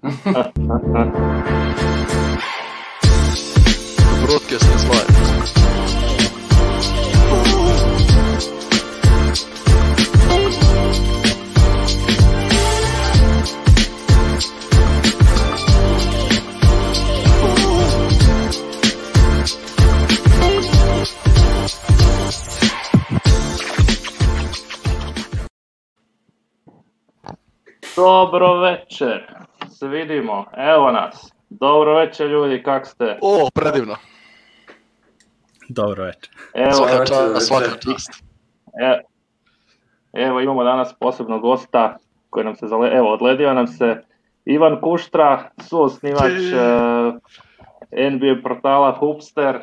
Broadcast is live. Dobro večer, se vidimo, evo nas. Dobro večer ljudi, kak ste? O, predivno. Dobro večer. Svaka čast. Evo imamo danas posebnog gosta koji nam se odledio nam se Ivan Kuštra, suosnivač NBA portala Hoopster,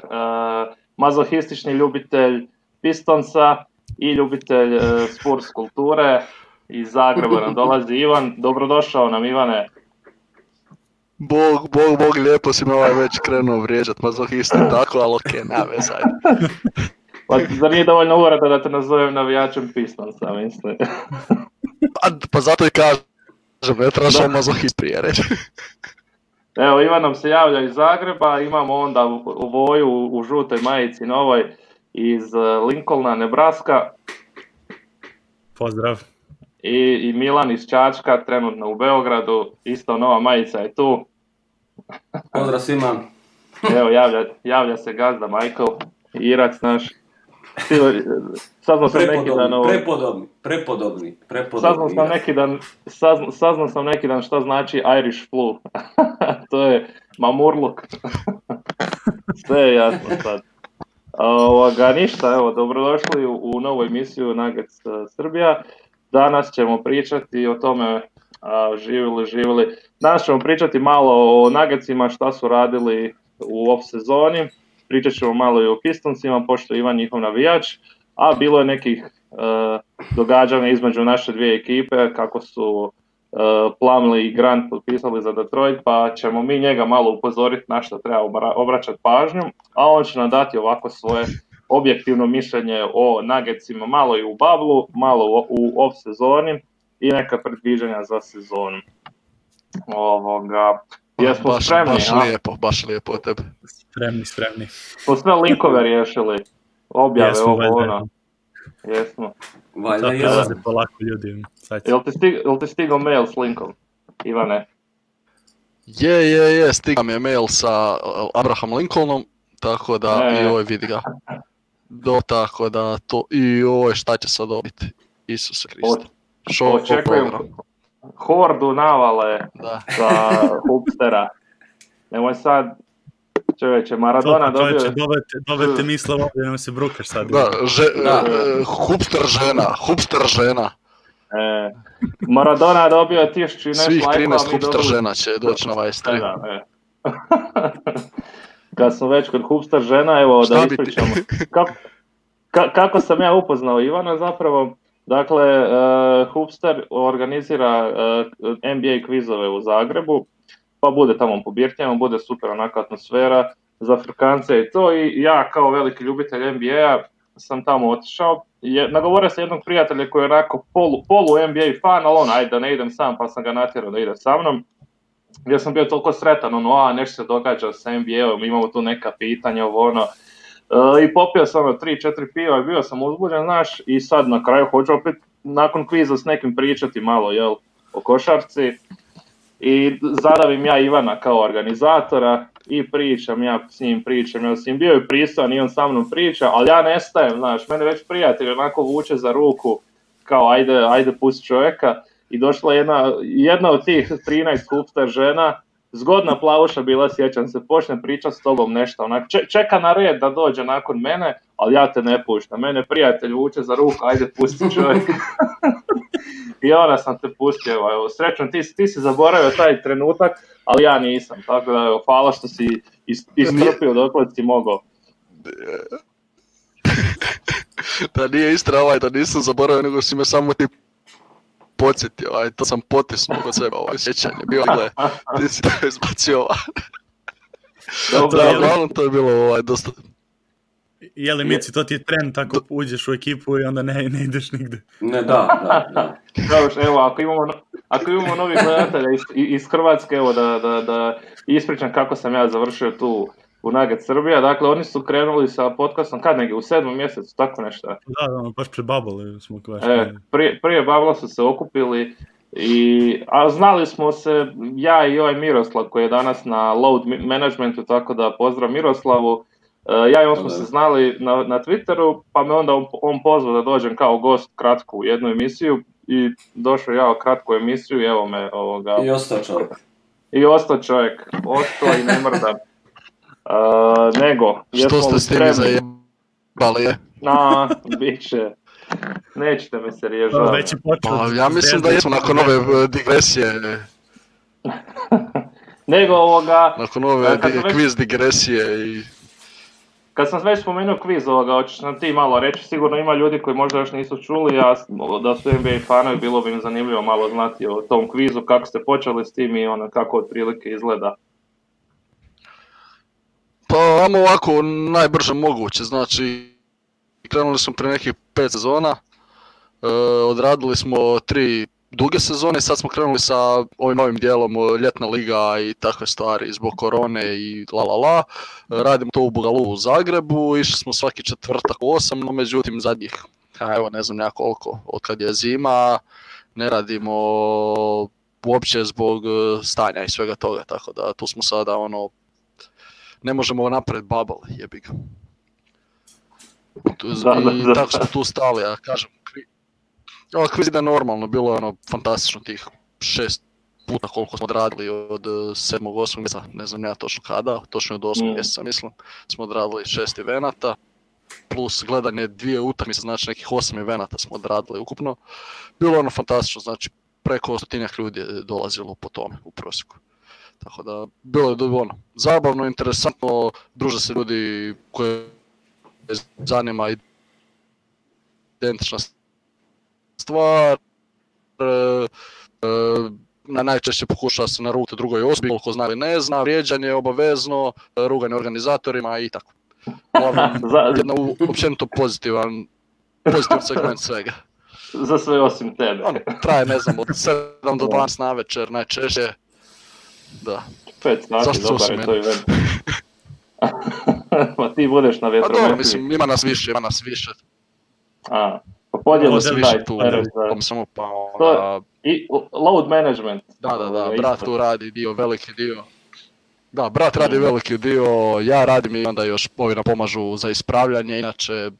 mazohistični ljubitelj Pistonsa i ljubitelj Spurs kulture. Iz Zagreba nam dolazi Ivan. Dobrodošao nam, Ivane. Bog, lijepo si me već krenuo vrijeđat, mazohisti tako, ali okej, nema veze. Pa zar nije dovoljno uvreda da te nazovem navijačem Pistonsa, mislim? Pa zato i kažem, ne trebaš mazohist prije reći. Evo, Ivan nam se javlja iz Zagreba, imamo onda Voju u žutoj majici novoj iz Lincolna, Nebraska. Pozdrav. I Milan iz Čačka, trenutno u Beogradu, isto nova majica je tu. Pozdrav svima. Evo, javlja se gazda Michael, Irac naš. Saznao sam prepodobni. Saznao sam neki dan šta znači Irish flu. To je mamurluk. Sve je jasno sad. Ništa, evo, dobrodošli u novu emisiju Nuggets Srbija. Danas ćemo pričati o tome, živjeli. Danas ćemo pričati malo o Nuggetsima, šta su radili u off sezoni. Pričat ćemo malo i o Pistonsima, pošto je Ivan njihov navijač. A bilo je nekih događanja između naše dvije ekipe, kako su Plumlee i Grant potpisali za Detroit, pa ćemo mi njega malo upozoriti na što treba obraćati pažnju. A on će nam dati ovako svoje objektivno mišljenje o Nuggetsima, malo i u bublu, malo u off sezoni i neka predviđanja za sezonu. Jesmo spremni? Baš lijepo od tebe. Spremni. Smo sve linkove riješili, objave, Jesmo. Valjda jesmo. Polako ljudi. Jel ti stigao mail s linkom, Ivane? Je, stigao mi je mail sa Abraham Lincolnom, tako da i ovaj vidi ga. Tako da to i ovo šta će sad dobiti, Isuse Kriste. Očekujem hordu navale za Hoopstera. Nemoj sad, čovječe, Maradona dobio... Dobijete misle ovdje, nemoj se brukaš sad. Hoopster žena. Maradona dobio 1000 i nešto svih 13 lajkova. Hoopster žena će doći na ovaj stream. Kad smo već kod Hoopster žena, evo da ispričamo. Kako sam ja upoznao Ivana zapravo? Dakle, Hoopster organizira NBA kvizove u Zagrebu, pa bude tamo po birtijama, bude super onaka atmosfera za Afrikance i to. I ja kao veliki ljubitelj NBA sam tamo otišao. Nagovorio sam jednog prijatelja koji je onako polu NBA fan, ali ajde da ne idem sam, pa sam ga natjerao da ide sa mnom. Ja sam bio toliko sretan, nešto se događa sa NBA-om, imamo tu neka pitanja, i popio sam 3-4 piva i bio sam uzbuđen, znaš, i sad na kraju hoću opet nakon kviza s nekim pričati malo, o košarci. I zadavim ja Ivana kao organizatora i pričam, ja s njim bio je pristojan i on sa mnom priča, ali ja nestajem, znaš, mene već prijatelj onako vuče za ruku, kao ajde pusti čovjeka. I došla jedna od tih 13 Hoopster žena, zgodna plavuša bila, sjećam se, počne pričati s tobom nešto, onak, čeka na red da dođe nakon mene, ali ja te ne puštam, mene prijatelj vuče za ruku, ajde pusti čovjek. I onda sam te pustio, evo, srećom, ti si zaboravio taj trenutak, ali ja nisam, tako da, evo, hvala što si istrpio dokle si mogao. Da nije istra da nisam zaboravio, nego si me samo ti podsjetio, to sam potisnuo kod sebe, sjećanje, bilo je, ti si to izbacio uglavnom to je bilo dosta... Jeli Mici, to ti je trend, tako uđeš u ekipu i onda ne ideš nigde. Ne, da. Evo, ako ako imamo novih gledatelja iz Hrvatske, evo da ispričam kako sam ja završio tu u Nugget Srbija. Dakle, oni su krenuli sa podcastom kad negdje u 7. mjesecu, tako nešto. Da, baš pred Bubble smo prije Bubble su se okupili, a znali smo se, ja i ovaj Miroslav koji je danas na Load Managementu, tako da pozdrav Miroslavu. Ja i on smo se znali na Twitteru, pa me onda on pozvao da dođem kao gost kratko u jednu emisiju i došao ja u kratku emisiju i evo me ovoga... I ostao čovjek. Ostao i ne mrdam. Nego, što ste s tim zajebali? Bit će. Nećete me se riješati. Pa, ja mislim da jesmo nakon ove digresije. Nego ovoga... Nakon ove kviz digresije i... Kad sam već spomenuo kviz ovoga, hoćeš nam ti malo reći, sigurno ima ljudi koji možda još nisu čuli, a da su NBA fanovi, bilo bi im zanimljivo malo znati o tom kvizu, kako ste počeli s tim i kako otprilike izgleda. Pa, vamo ovako najbrže moguće, znači krenuli smo prije nekih 5 sezona, odradili smo 3 duge sezone, sad smo krenuli sa ovim novim dijelom ljetna liga i takve stvari zbog korone i radimo to u Bugalu u Zagrebu, išli smo svaki četvrtak u 8, no međutim zadnjih, evo ne znam koliko, od kad je zima, ne radimo uopće zbog stanja i svega toga, tako da tu smo sada ne možemo napraviti bubble, jebi ga. I tako smo tu stali, ja kažem, kviz ide normalno, bilo je fantastično tih 6 puta koliko smo odradili od 7. 8. mjeseca, ne znam ja točno kada, točno od 8. mjeseca mislim, smo odradili 6 evenata, plus gledanje 2 utakmice, znači nekih 8 evenata smo odradili ukupno. Bilo je fantastično, znači preko 100 ljudi je dolazilo po tome u prosjeku. Tako da, bilo je zabavno, interesantno, druže se ljudi koje zanima identična stvar, najčešće pokušava se naruti drugoj osobi, koliko zna ili ne zna, vrijeđanje je obavezno, ruganje organizatorima i tako. Jedno općenito pozitivan segment svega. Za sve osim tebe. Traje, ne znam, od 7 do 12 na večer najčešće. Da. 5 sati, dobar je to event. Pa ti budeš na vjetrometiji. Pa mislim, ima nas više. Pa podijeli se taj teret. I load management. Da, brat tu radi veliki dio. Da, brat radi veliki dio, ja radim i onda još ovi nam pomažu za ispravljanje, inače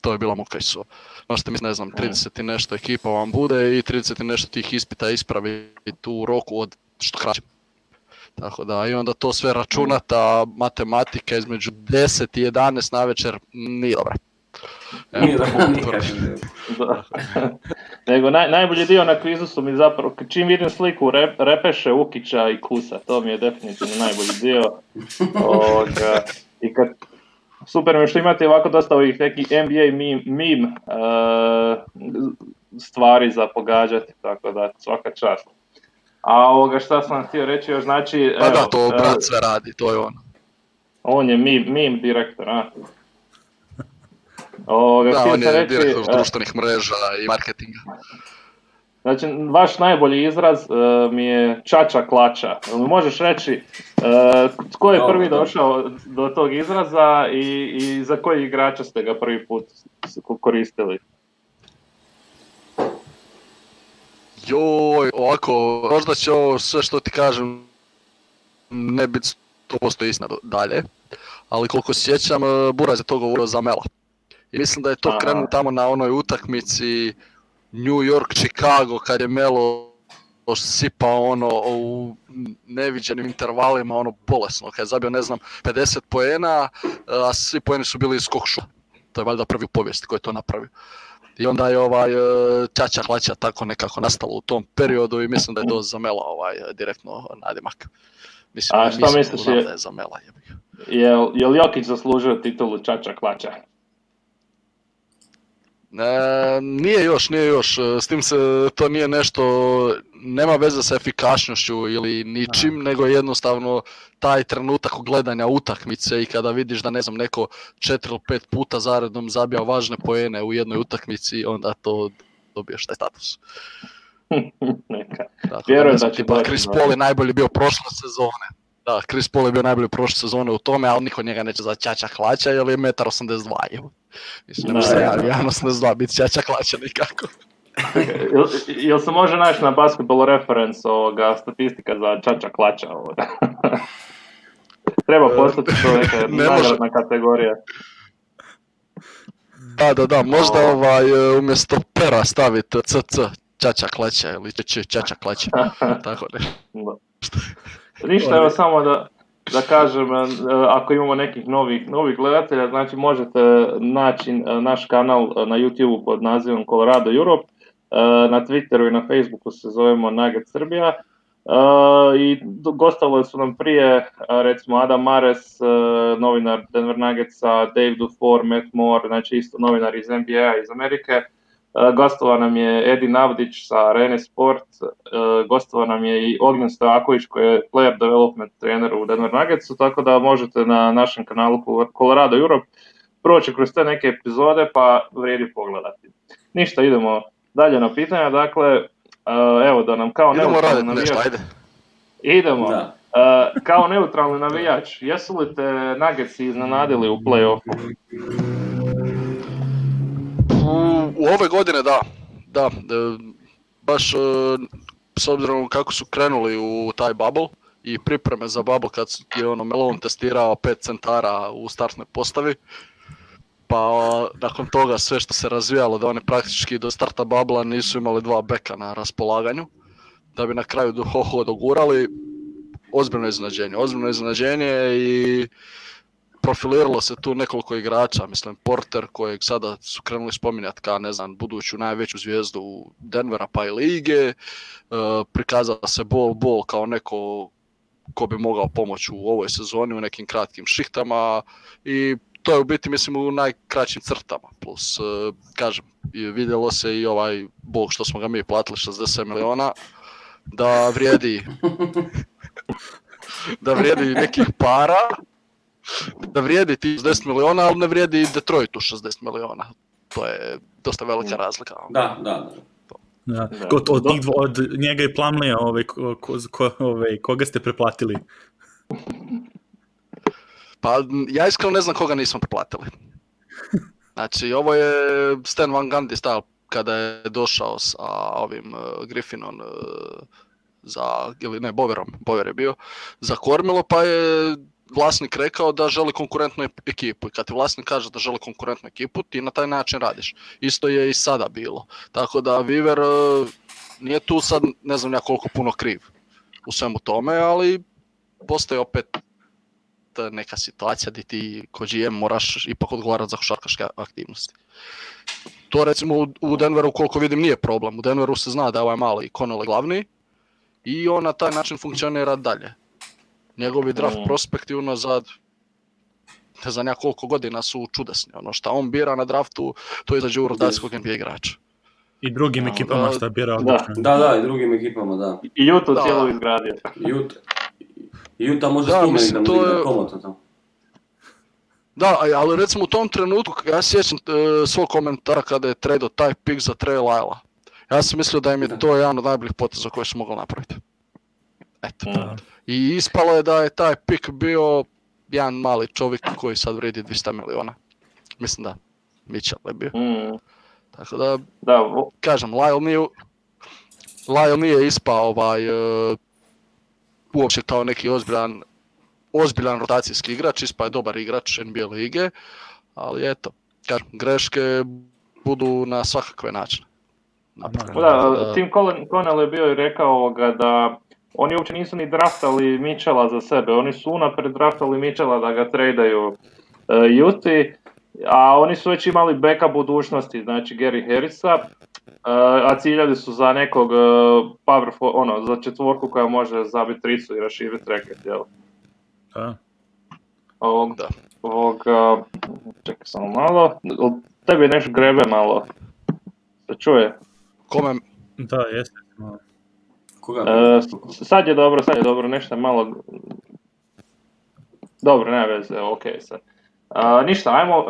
to je bila muka i so. Možete mislim, ne znam, 30 i nešto ekipa vam bude i 30 i nešto tih ispita ispravi tu u roku od što kraće. Tako da, i onda to sve računata, matematika između 10 i 11 na večer nije dobra. Nego najbolji dio na kvizu su mi zapravo, čim vidim sliku Repeše, Ukića i Kusa, to mi je definitivno najbolji dio. I kad, super mi što imate ovako dosta ovih nekih NBA meme stvari za pogađati, tako da svaka čast. A šta sam htio reći još, znači... Pa da, to brat sve radi, to je on. On je meme direktor, a? Da, on je direktor društvenih mreža i marketinga. Znači, vaš najbolji izraz mi je čača klača. Možeš reći tko je prvi došao do tog izraza i za koji igrača ste ga prvi put koristili? Joj, ovako, možda će ovo sve što ti kažem ne biti 100% istina dalje, ali koliko se sjećam, Buraz je to govorio za Mela. I mislim da je to krenuo tamo na onoj utakmici New York-Chicago kad je Melo sipao u neviđenim intervalima bolesno, kad je zabio ne znam 50 poena, a svi poeni su bili iz skok šuta. To je valjda prvi u povijesti koji je to napravio. I onda je čača klača tako nekako nastalo u tom periodu i mislim da je to za Mela direktno nadimak. Mislim, a šta misliš da je za Mela. Je li Jokić zaslužio titulu čača klača? Nije još, s tim se to nije nešto, nema veze sa efikasnošću ili ničim, nego jednostavno taj trenutak gledanja utakmice i kada vidiš da ne znam neko 4 ili 5 puta zaredom zabija važne poene u jednoj utakmici, onda to dobiješ taj status. Neka. Tako Vjerujem da da će tipa doći Chris do- Paul je najbolji bio prošle sezone. Da, Chris Paul je bio najbolji prošle sezone u tome, ali niko njega neće za Ćaća Klaća jer je 1,82 m. Mislim, ne može se javi 1,82 biti Ćaća Klaća nikako. Jel se može naći na Basketball Reference statistika za Čača Klača ovoga? Treba postati to neka Ne može. nagradna kategorija. Da, možda umjesto pera staviti CC Ćaća Klaća ili Ćaća Klaća. Tako ne. Ništa, evo samo da kažem, ako imamo nekih novih gledatelja, znači možete naći naš kanal na YouTube pod nazivom Colorado Europe, na Twitteru i na Facebooku se zovemo Nugget Srbija, i gostovali su nam prije, recimo Adam Mares, novinar Denver Nuggetsa, Dave Dufour, Matt Moore, znači isto novinar iz NBA iz Amerike. Gostovao nam je Edi Navdić sa Arene Sport, gostovao nam je i Ognjen Stojaković koji je player development trener u Denver Nuggetsu, tako da možete na našem kanalu Colorado Europe proći kroz te neke epizode pa vrijedi pogledati. Ništa, idemo dalje na pitanja, dakle, evo da nam kao Idemo neutralni raditi nešto, navijač... ajde. Idemo. Da. Kao neutralni navijač, jesu li te Nuggetsi iznenadili u play-offu? U ove godine da, baš s obzirom kako su krenuli u taj bubble i pripreme za bubble kad je Malone testirao 5 centara u startnoj postavi, pa nakon toga sve što se razvijalo da oni praktički do starta bubble nisu imali 2 beka na raspolaganju, da bi na kraju dogurali, ozbiljno iznenađenje i profiliralo se tu nekoliko igrača, mislim Porter kojeg sada su krenuli spominjati kao buduću najveću zvijezdu Denvera pa i lige, prikazao se Bol kao neko ko bi mogao pomoći u ovoj sezoni u nekim kratkim šihtama i to je u biti mislim u najkraćim crtama, plus kažem vidjelo se i ovaj Bog što smo ga mi platili 60 miliona da vrijedi nekih para, da vrijedi ti 60 miliona, ali ne vrijedi Detroitu 60 miliona. To je dosta velika razlika. Da. Od njega i Plumleya, koga ste preplatili? Pa ja iskreno ne znam koga nismo preplatili. Znači, ovo je Stan Van Gundy stajal kada je došao sa ovim Griffinom Bover je bio, za kormilo, pa je vlasnik rekao da želi konkurentnu ekipu i kad ti vlasnik kaže da želi konkurentnu ekipu, ti na taj način radiš. Isto je i sada bilo. Tako da Weaver nije tu sad ne znam ja koliko puno kriv u svemu tome, ali postoji opet neka situacija gdje ti ko GM moraš ipak odgovarati za košarkaške aktivnosti. To recimo u Denveru koliko vidim nije problem. U Denveru se zna da je ovaj mali Connelly glavni i on na taj način funkcionira dalje. Njegovi draft prospekti unazad ne znam ja koliko godina su čudesni. Ono što on bira na draftu, to izađe u rotacijskog NBA igrača. I drugim ekipama što je birao. Da, i drugim ekipama, da. I Utah cijelo izgradio. Utah može spomenuti da mu digne komotno tamo. Da, ali recimo u tom trenutku, ja sjećam svog komentara kada je tradeo taj pick za Trey Lyla. Ja sam mislio da im je to jedan od najboljih poteza koje su mogli napraviti. Eto. I ispalo je da je taj pick bio jedan mali čovjek koji sad vredi 200 miliona. Mislim da Mitchell je bio. Tako da, kažem, Lyle nije ispao uopće kao neki ozbiljan rotacijski igrač, ispao je dobar igrač NBA lige, ali eto, kažem, greške budu na svakakve načine. Tim Connell je bio i rekao da oni uopće nisu ni draftali Mitchella za sebe, oni su unaprijed draftali Mitchella da ga tradaju Uti, a oni su već imali beka budućnosti, znači Gary Harrisa, a ciljali su za nekog za četvorku koja može zabiti tricu i raširiti reket, jel? Čekaj samo malo, tebi nešto grebe malo, se čuje? Kome? Da, jeste. Sad je dobro, nešto malo... Dobro, nema veze, ok sad. Ništa, ajmo,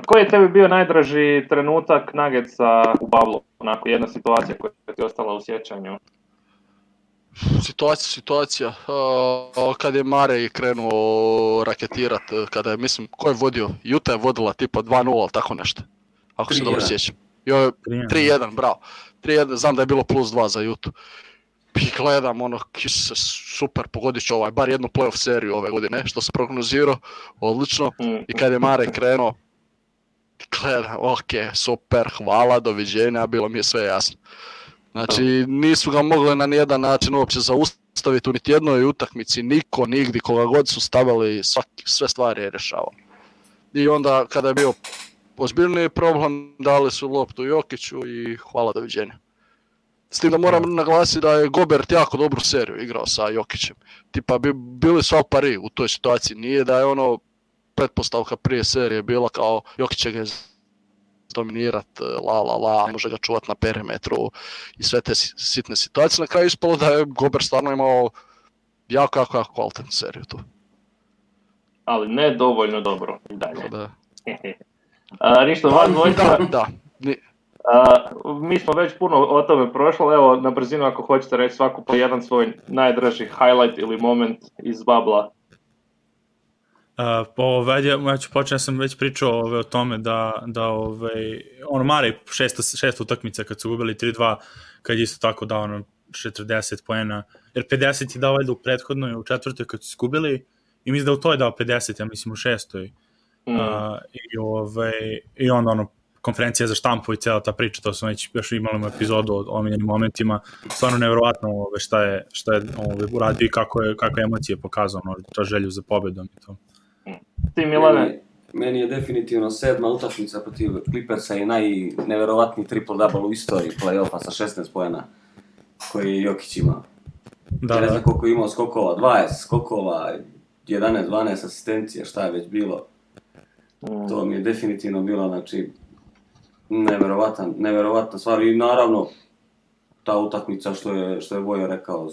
koji je tebi bio najdraži trenutak Nuggetsa u Bablu? Onako, jedna situacija koja ti je ostala u sjećanju. Situacija. Kad je Murray krenuo raketirat, kada je, mislim, ko je vodio? Utah je vodila tipa 2-0, ali tako nešto. Ako se dobro sjećam. 3-1, bravo. 3-1, znam da je bilo +2 za Utah. I gledam, se super, pogodit ću bar jednu playoff seriju ove godine, što sam prognozirao, odlično. I kad je Murray krenuo, gledam, ok, super, hvala, doviđenja, bilo mi je sve jasno. Znači, nisu ga mogli na nijedan način uopće zaustaviti u niti jednoj utakmici, niko, nigdje, koga god su stavili, sve stvari je rješavao. I onda, kada je bio ozbiljniji problem, dali su loptu Jokiću i hvala, doviđenja. S tim da moram naglasiti da je Gobert jako dobru seriju igrao sa Jokićem. Tipa, bili su al pari u toj situaciji, nije da je pretpostavka prije serije bila kao Jokić će ga dominirat, može ga čuvat na perimetru i sve te sitne situacije. Na kraju ispalo da je Gobert stvarno imao jako kvalitetnu seriju tu. Ali ne dovoljno dobro i dalje. Da. Ništa, vas dvojica. Da. Mi smo već puno o tome prošli, evo na brzinu ako hoćete reći svaku po jedan svoj najdraži highlight ili moment iz Babla. Ja ću početi, sam već pričao o tome da Murray šest utakmica kad su gubili 3-2, kad je isto tako dao 40 poena, jer 50 je dao valjda u prethodnoj, u četvrtoj kad su izgubili, i mislim da u toj je dao 50, ja mislim u šestoj. I onda konferencija za štampu i cijela ta priča, to sam već još imali epizodu o omiljenim momentima, stvarno nevjerovatno šta je uradio i kako emocije pokazao, to želju za pobjedom i to. Ti, Milane? Meni je definitivno 7. utakmica protiv Clippersa i najneverovatniji triple-double u istoriji play-offa sa 16 poena koji je Jokić imao. Ja ne znam koliko je imao skokova, 20 skokova, 11-12 asistencija, šta je već bilo. To mi je definitivno bilo, znači, neverovatna stvar. I naravno, ta utakmica što je Vojo rekao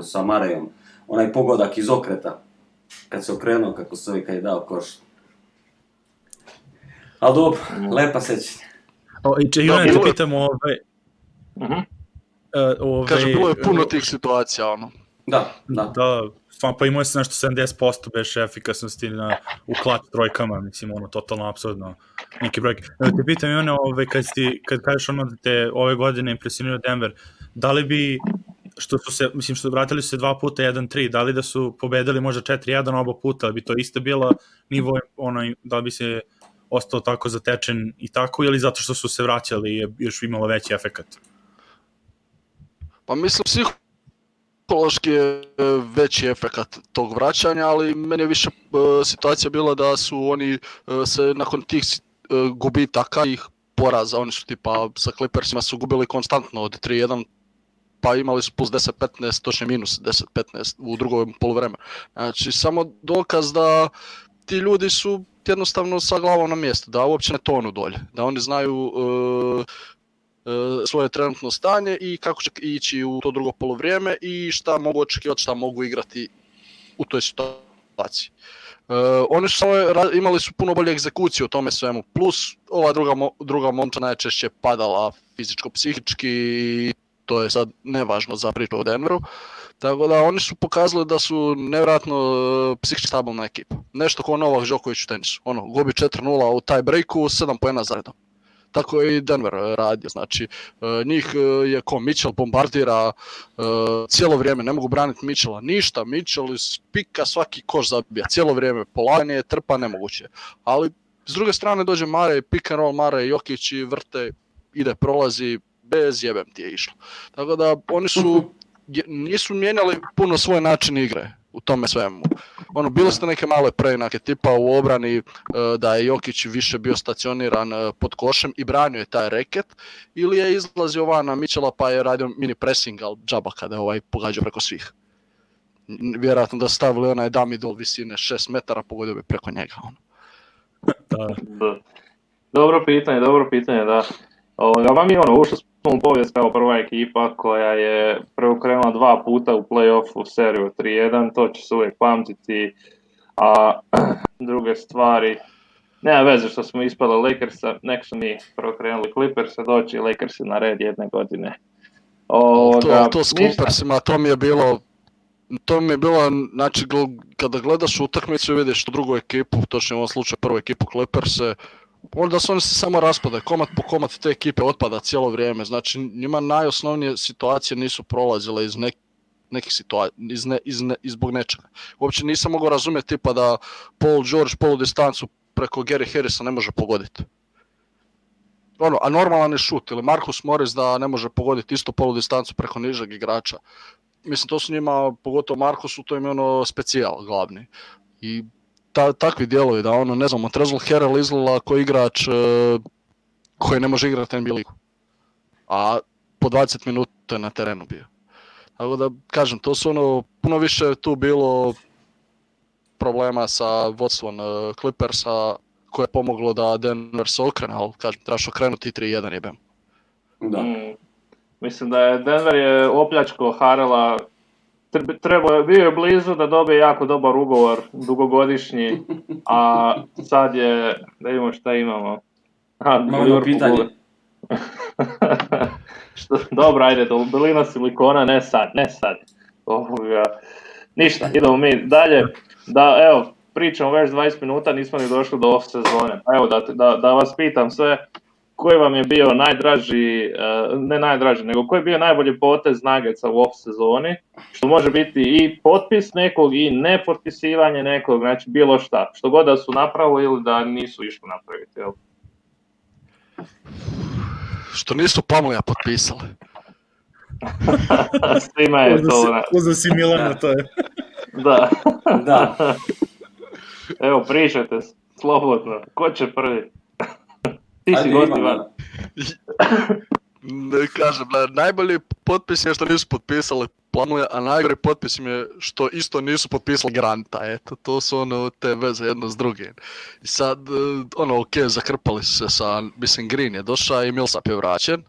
sa Murrayom, onaj pogodak iz okreta, kad se okrenuo, kako se kad je dao koš. Ali dobro, lepa sećanja. Jovan, te pitamo Kaže, bilo je puno tih situacija, Da. Pa imao se nešto 70% bez efikasnosti u klat trojkama, mislim, totalno apsurdno neki brojke. Te pitam, Ivane, kad kažeš da te ove godine impresionirao Denver, da li bi, što vratili su se 2 puta 1-3, da li da su pobedili možda 4-1 oba puta, ali bi to isto bilo nivo, da li bi se ostao tako zatečen i tako, ili zato što su se vraćali i je još imalo veći efekat? Pa mislim, psihološki je veći efekat tog vraćanja, ali meni je više situacija bila da su oni se nakon tih gubitaka i poraza, oni su tipa sa Clippersima su gubili konstantno od 3-1, pa imali su plus 10-15, točnije minus 10-15 u drugom poluvremenu. Znači, samo dokaz da ti ljudi su jednostavno sa glavom na mjestu, da uopće ne tonu dolje, da oni znaju svoje trenutno stanje i kako će ići u to drugo poluvrijeme i šta mogu očekivati, šta mogu igrati u toj situaciji. Oni su imali su puno bolje egzekucije u tome svemu, plus ova druga momča najčešće padala fizičko-psihički i to je sad nevažno za priču o Denveru. Tako da oni su pokazali da su nevjerojatno psihički stabilna ekipa. Nešto kao Novak Đoković u tenisu. Gubi 4-0 u tie breaku, 7 poena za redom. Tako je i Denver radio, znači njih je ko Mitchell bombardira cijelo vrijeme, ne mogu braniti Mitchella, ništa, Mitchell iz pika svaki koš zabija, cijelo vrijeme, polaganje, trpa, nemoguće. Ali s druge strane dođe Murray, pick and roll Murray, Jokić i vrte, ide, prolazi, bez jebem ti je išlo. Tako da oni nisu mijenjali puno svoj način igre u tome svemu. Bili su neke male preinake, tipa u obrani da je Jokić više bio stacioniran pod košem i branio je taj reket, ili je izlazio van na Mitchella pa je radio mini pressing, ali džaba kada je pogađao preko svih. Vjerojatno da stavili onaj dummy doll visine 6 metara, pogodio bi preko njega. Dobro pitanje, da. Vam je ušli smo u povijest kao prva ekipa koja je preokrenula 2 puta u play-offu seriju 3-1, to će se uvijek pamtiti, a druge stvari, nema veze što smo ispali Lakersa, nek su mi prvo krenuli Clippersa, doći Lakersi na red jedne godine. To s Clippersima, to mi je bilo, znači kada gledaš utakmicu i vidiš drugu ekipu, točno u ovom slučaju prvu ekipu Clippers-e, onda su oni se samo raspadaju, komad po komad te ekipe otpada cijelo vrijeme, znači njima najosnovnije situacije nisu prolazile iz nekih situacija, zbog nečega. Uopće nisam mogao razumjeti tipa da Paul George polu distancu preko Gary Harrisa ne može pogoditi. A normalan je šut, ili Marcus Morris da ne može pogoditi isto polu distancu preko nižeg igrača. Mislim, to su njima, pogotovo Marcusu, to im je specijal glavni. I takvi dijelovi da ne znam, Montrezl Harrell izgleda koji igrač koji ne može igrati NBA ligu. A po 20 minuta je na terenu bio. Tako da, kažem, to su puno više tu bilo problema sa vodstvom Clippersa koje je pomoglo da Denver se okrene, ali kažem, trebaš okrenuti 3-1 jebem. Da. Mislim da je Denver opljačko Harrella, bio je blizu da dobije jako dobar ugovor, dugogodišnji, a sad je, da vidimo šta imamo. Malo pitanje. Dobro, ajde, dolina silikona, ne sad. Ništa, idemo mi dalje. Evo, pričamo već 20 minuta, nismo ni došli do off sezone. Evo, da vas pitam sve, koji vam je bio najdraži, ne najdraži, nego koji je bio najbolji potez Nuggetsa u off sezoni, što može biti i potpis nekog i nepotpisivanje nekog, znači bilo šta, što god da su napravili ili da nisu išli napraviti, jel? Što nisu Pamlija potpisali. Svima je to. Uzeo si Milana, to je. Da. Evo, pričajte slobodno. Ko će prvi? Ti si gost, Ivan. Kažem, najbolji potpis je što nisu potpisali Pamlija, a najgori potpis im je što isto nisu potpisali Granta. Eto, to su te veze jedno s drugim. I sad, zakrpali su se sa, mislim, Green je došao i Millsap je vraćen.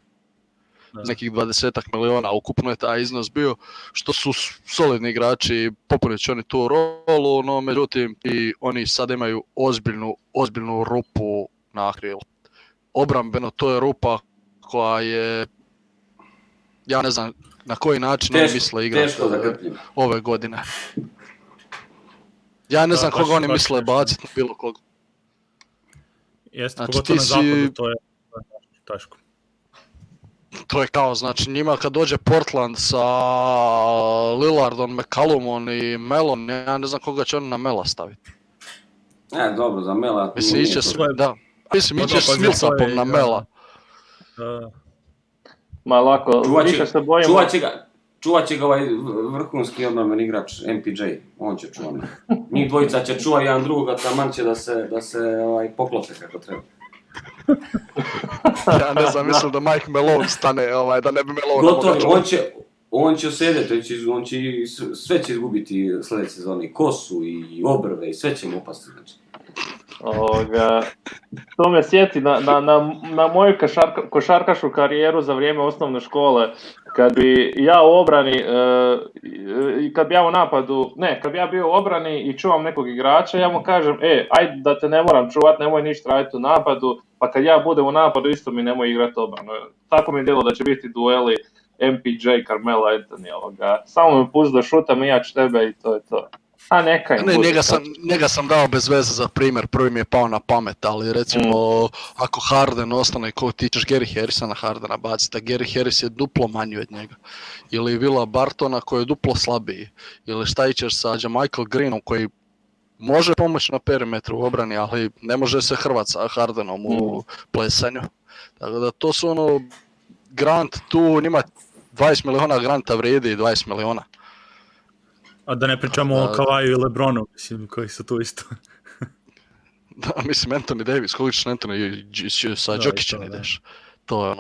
Nekih 20 miliona ukupno je taj iznos bio, što su solidni igrači, popunit će oni tu rolu, no međutim i oni sad imaju ozbiljnu rupu na krilu. Obrambeno to je rupa koja je, ja ne znam na koji način oni misle igrati ove godine. Ja ne znam koga oni misle baciti na bilo koga. Jeste, znači, pogotovo na zapadu, to je teško. To je kao, znači njima kad dođe Portland sa Lillardom, McCallumom i Melom, ja ne znam koga će oni na Mela staviti. Dobro, za Mela... Mislim, iće s Millsapom na Mela. Ma lako, više se bojimo... Čuvat će ga ovaj vrhunski obrambeni igrač MPJ, on će čuvati. Njih dvojica će čuvati jedan drugoga, taman će da se poklope kako treba. Ja ne znam, mislim da Mike Malone stane, da ne bi Malone... Gotovo, on će osjedeti, sve će izgubiti sljedeće sezone, i kosu, i obrve, i sve će mu upasti, znači. To me sjeti na moju košarkašku karijeru za vrijeme osnovne škole, kad bi ja u obrani, kad bi ja u napadu, kad bi ja bio u obrani i čuvam nekog igrača, ja mu kažem, ajde da te ne moram čuvat, nemoj ništa raditi u napadu, pa kad ja budem u napadu isto mi nemoj igrati obranu. Tako mi je djelo da će biti dueli MPJ, Carmelo Anthony, samo me pusti da šutam i ja ću tebe i to je to. Njega sam dao bez veze za primjer, prvi mi je pao na pamet, ali recimo ako Harden ostane, ko ti ćeš Gary Harrisa na Hardena baciti, a Gary Harris je duplo manji od njega. Ili Willa Bartona koji je duplo slabiji. Ili šta ićeš sa Michael Greenom koji može pomoći na perimetru u obrani, ali ne može se hrvat sa Hardenom u plesanju. Tako da to su Grant tu, njima 20 miliona Granta vrijedi 20 miliona. A da ne pričamo o Kawaju i Lebronu, mislim, koji su tu isto. Da, mislim, Anthony Davis, koliko ćeš Anthony sa Jokićem ideš? To je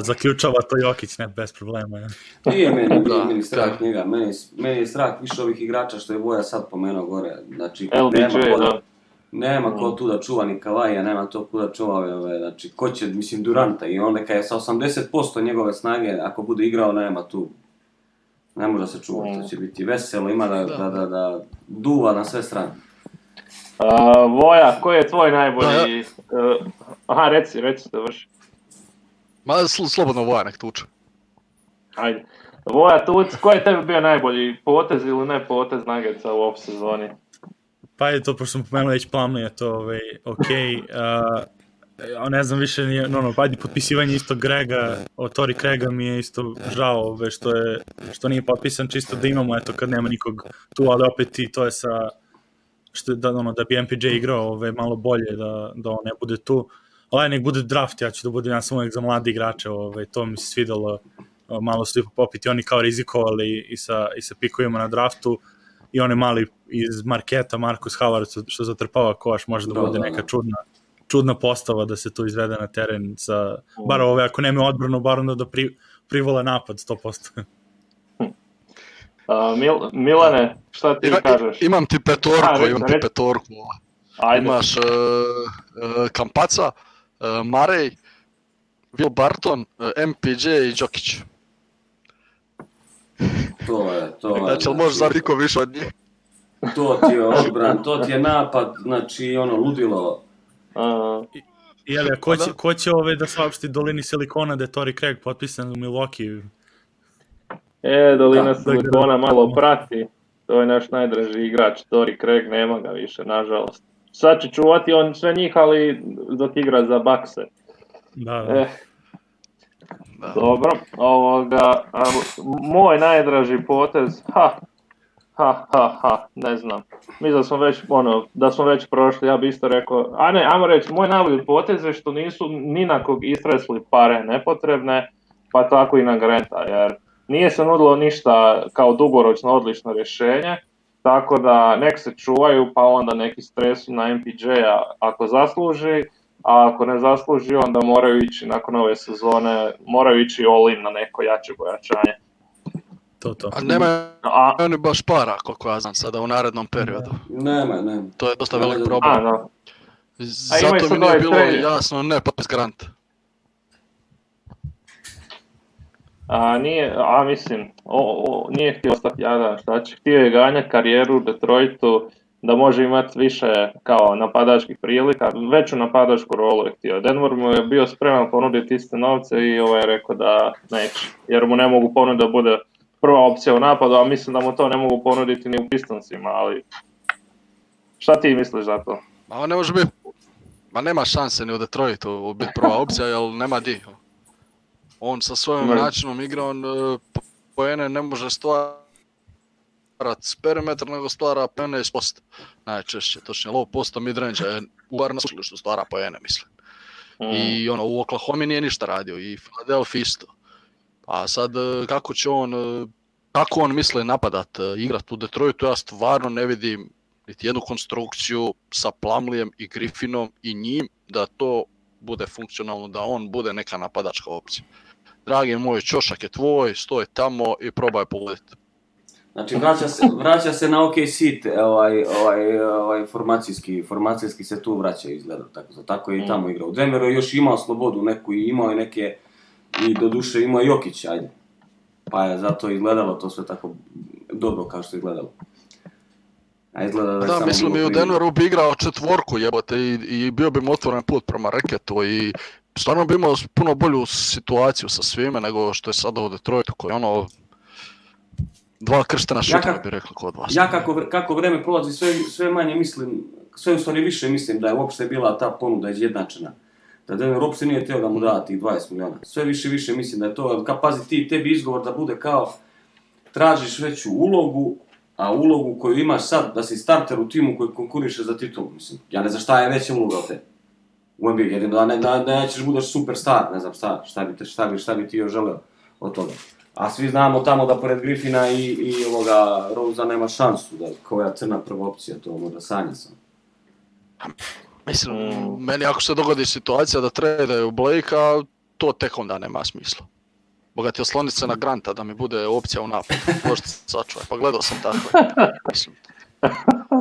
zaključava to Jokić, ne, bez problema. Nije meni strah njega, meni je strah više ovih igrača što je Voja sad pomenuo gore. Znači, nema ko tu da čuva ni Kavaja, nema to ko da čuva, znači, ko će, mislim, Duranta i on neka je sa 80% njegove snage, ako bude igrao, nema tu. Ne može se čuvati, to će biti veselo, ima da duva na sve strane. Voja, koji je tvoj najbolji... Aha, reci da vrši. Ma slobodno Voja nek tuče. Ajde. Voja tuc, koji je tebi bio najbolji potez ili ne potez Nuggetsa u off sezoni? Pa je to, pošto sam pomenuo već Plumlee, to okej. Ne znam više, ajde potpisivanje isto Grega, od Tori Craiga mi je isto žao što nije potpisan, čisto da imamo, eto, kad nema nikog tu, ali opet i to je sa, da bi MPJ igrao malo bolje, da on ne bude tu, ali nek bude draft, ja ću da budem samo uvijek za mladi igrače, to mi se svidalo, malo su popiti oni kao rizikovali i sa pikovima na draftu, i one mali iz marketa, Marcus Howard, što zatrpava koš, može da bude neka čudna postava da se tu izvede na teren sa, bar ako nema odbranu, bar onda da privole napad 100%. Milane, šta ti kažeš? Imam ti petorku. Imaš Campazza, Murray, Will Barton, MPJ i Jokić. To je. Znači, ali možeš zariko više od njih? To ti je odbran, to ti je napad, znači ludilo. Jeli, ko će da saopšti Dolini Silikona da je Tori Craig potpisan u Milwaukee? Dolina Silikona malo prati, to je naš najdraži igrač, Tori Craig, nema ga više, nažalost. Sad će čuvati on sve njih, ali dok igra za Buckse. Da. Dobro, moj najdraži potez, ne znam. Mislim da smo već prošli, ja bi isto rekao, ajmo reći, moj najbolji potez je što nisu ni na kog istresli pare nepotrebne, pa tako i na Granta, jer nije se nudilo ništa kao dugoročno odlično rješenje, tako da nek se čuvaju, pa onda neki stresu na MPJ-a ako zasluži, a ako ne zasluži, onda moraju ići nakon ove sezone, moraju ići all-in na neko jače pojačanje. To. A nema oni baš para, koliko ja znam sada u narednom periodu. Nema. To je dosta velik problem. Da. Zato mi nije bilo jasno ne potpis Granta. Nije htio ostati jadan, htio je ganjati karijeru u Detroitu, da može imati više kao napadačkih prilika, veću napadačku rolu je htio. Denver mu je bio spreman ponuditi iste novce i je rekao da neće, jer mu ne mogu ponuditi da bude prva opcija u napadu, a mislim da mu to ne mogu ponuditi ni u Pistonsima, ali šta ti misliš za to? On ne može biti, nema šanse ni u Detroitu biti prva opcija, jer nema di. On sa svojim načinom igra, on poene ne može stvarati s perimetra, nego stvara poene iz posta. Najčešće, točnije low posta, midrange je uvar na što stvara poene, mislim. I u Oklahoma nije ništa radio, i Philadelphia isto. A sad, kako on misle napadat, igrat u Detroitu, ja stvarno ne vidim niti jednu konstrukciju sa Plumleejem i Griffinom i njim, da to bude funkcionalno, da on bude neka napadačka opcija. Dragi moj, ćošak je tvoj, stoji tamo i probaj pogoditi. Znači, vraća se na OKC, formacijski se tu vraća izgleda, tako je i tamo igrao. U Denveru je još imao slobodu neku i imao je neke, i doduše imao je Jokić, ajde. Pa je zato izgledalo to sve tako dobro kao što je izgledalo. Da, mislim i u Denveru bi igrao četvorku jebote i bio bi mu otvoren put prema reketu i stvarno bi imao puno bolju situaciju sa svime nego što je sada u Detroitu koji dva krštena šutera bi rekli kod vas. Ja kako vreme prolazi sve manje mislim, sve u stvari više mislim da je uopšte bila ta ponuda izjednačena. Da Denver uopšte nije htio da mu da tih 20 miliona. Sve više mislim da je to, pazi tebi izgovor da bude kao tražiš veću ulogu, a ulogu koju imaš sad, da si starter u timu koji konkuriše za titulu, mislim. Ja ne znam šta je veća uloga od te. U NBA, jedino da nećeš budeš superstar, ne znam šta bi ti još želeo od toga. A svi znamo tamo da pored Griffina i ovoga Rosea nema šansu, da koja crna prva opcija, to možda sanja sam. Mislim, meni ako se dogodi situacija da tradaju Blakea, to tek onda nema smisla. Bogati osloniti se na Granta da mi bude opcija u napadu. Možete se sačuvaj, pa gledao sam tako. Mislim,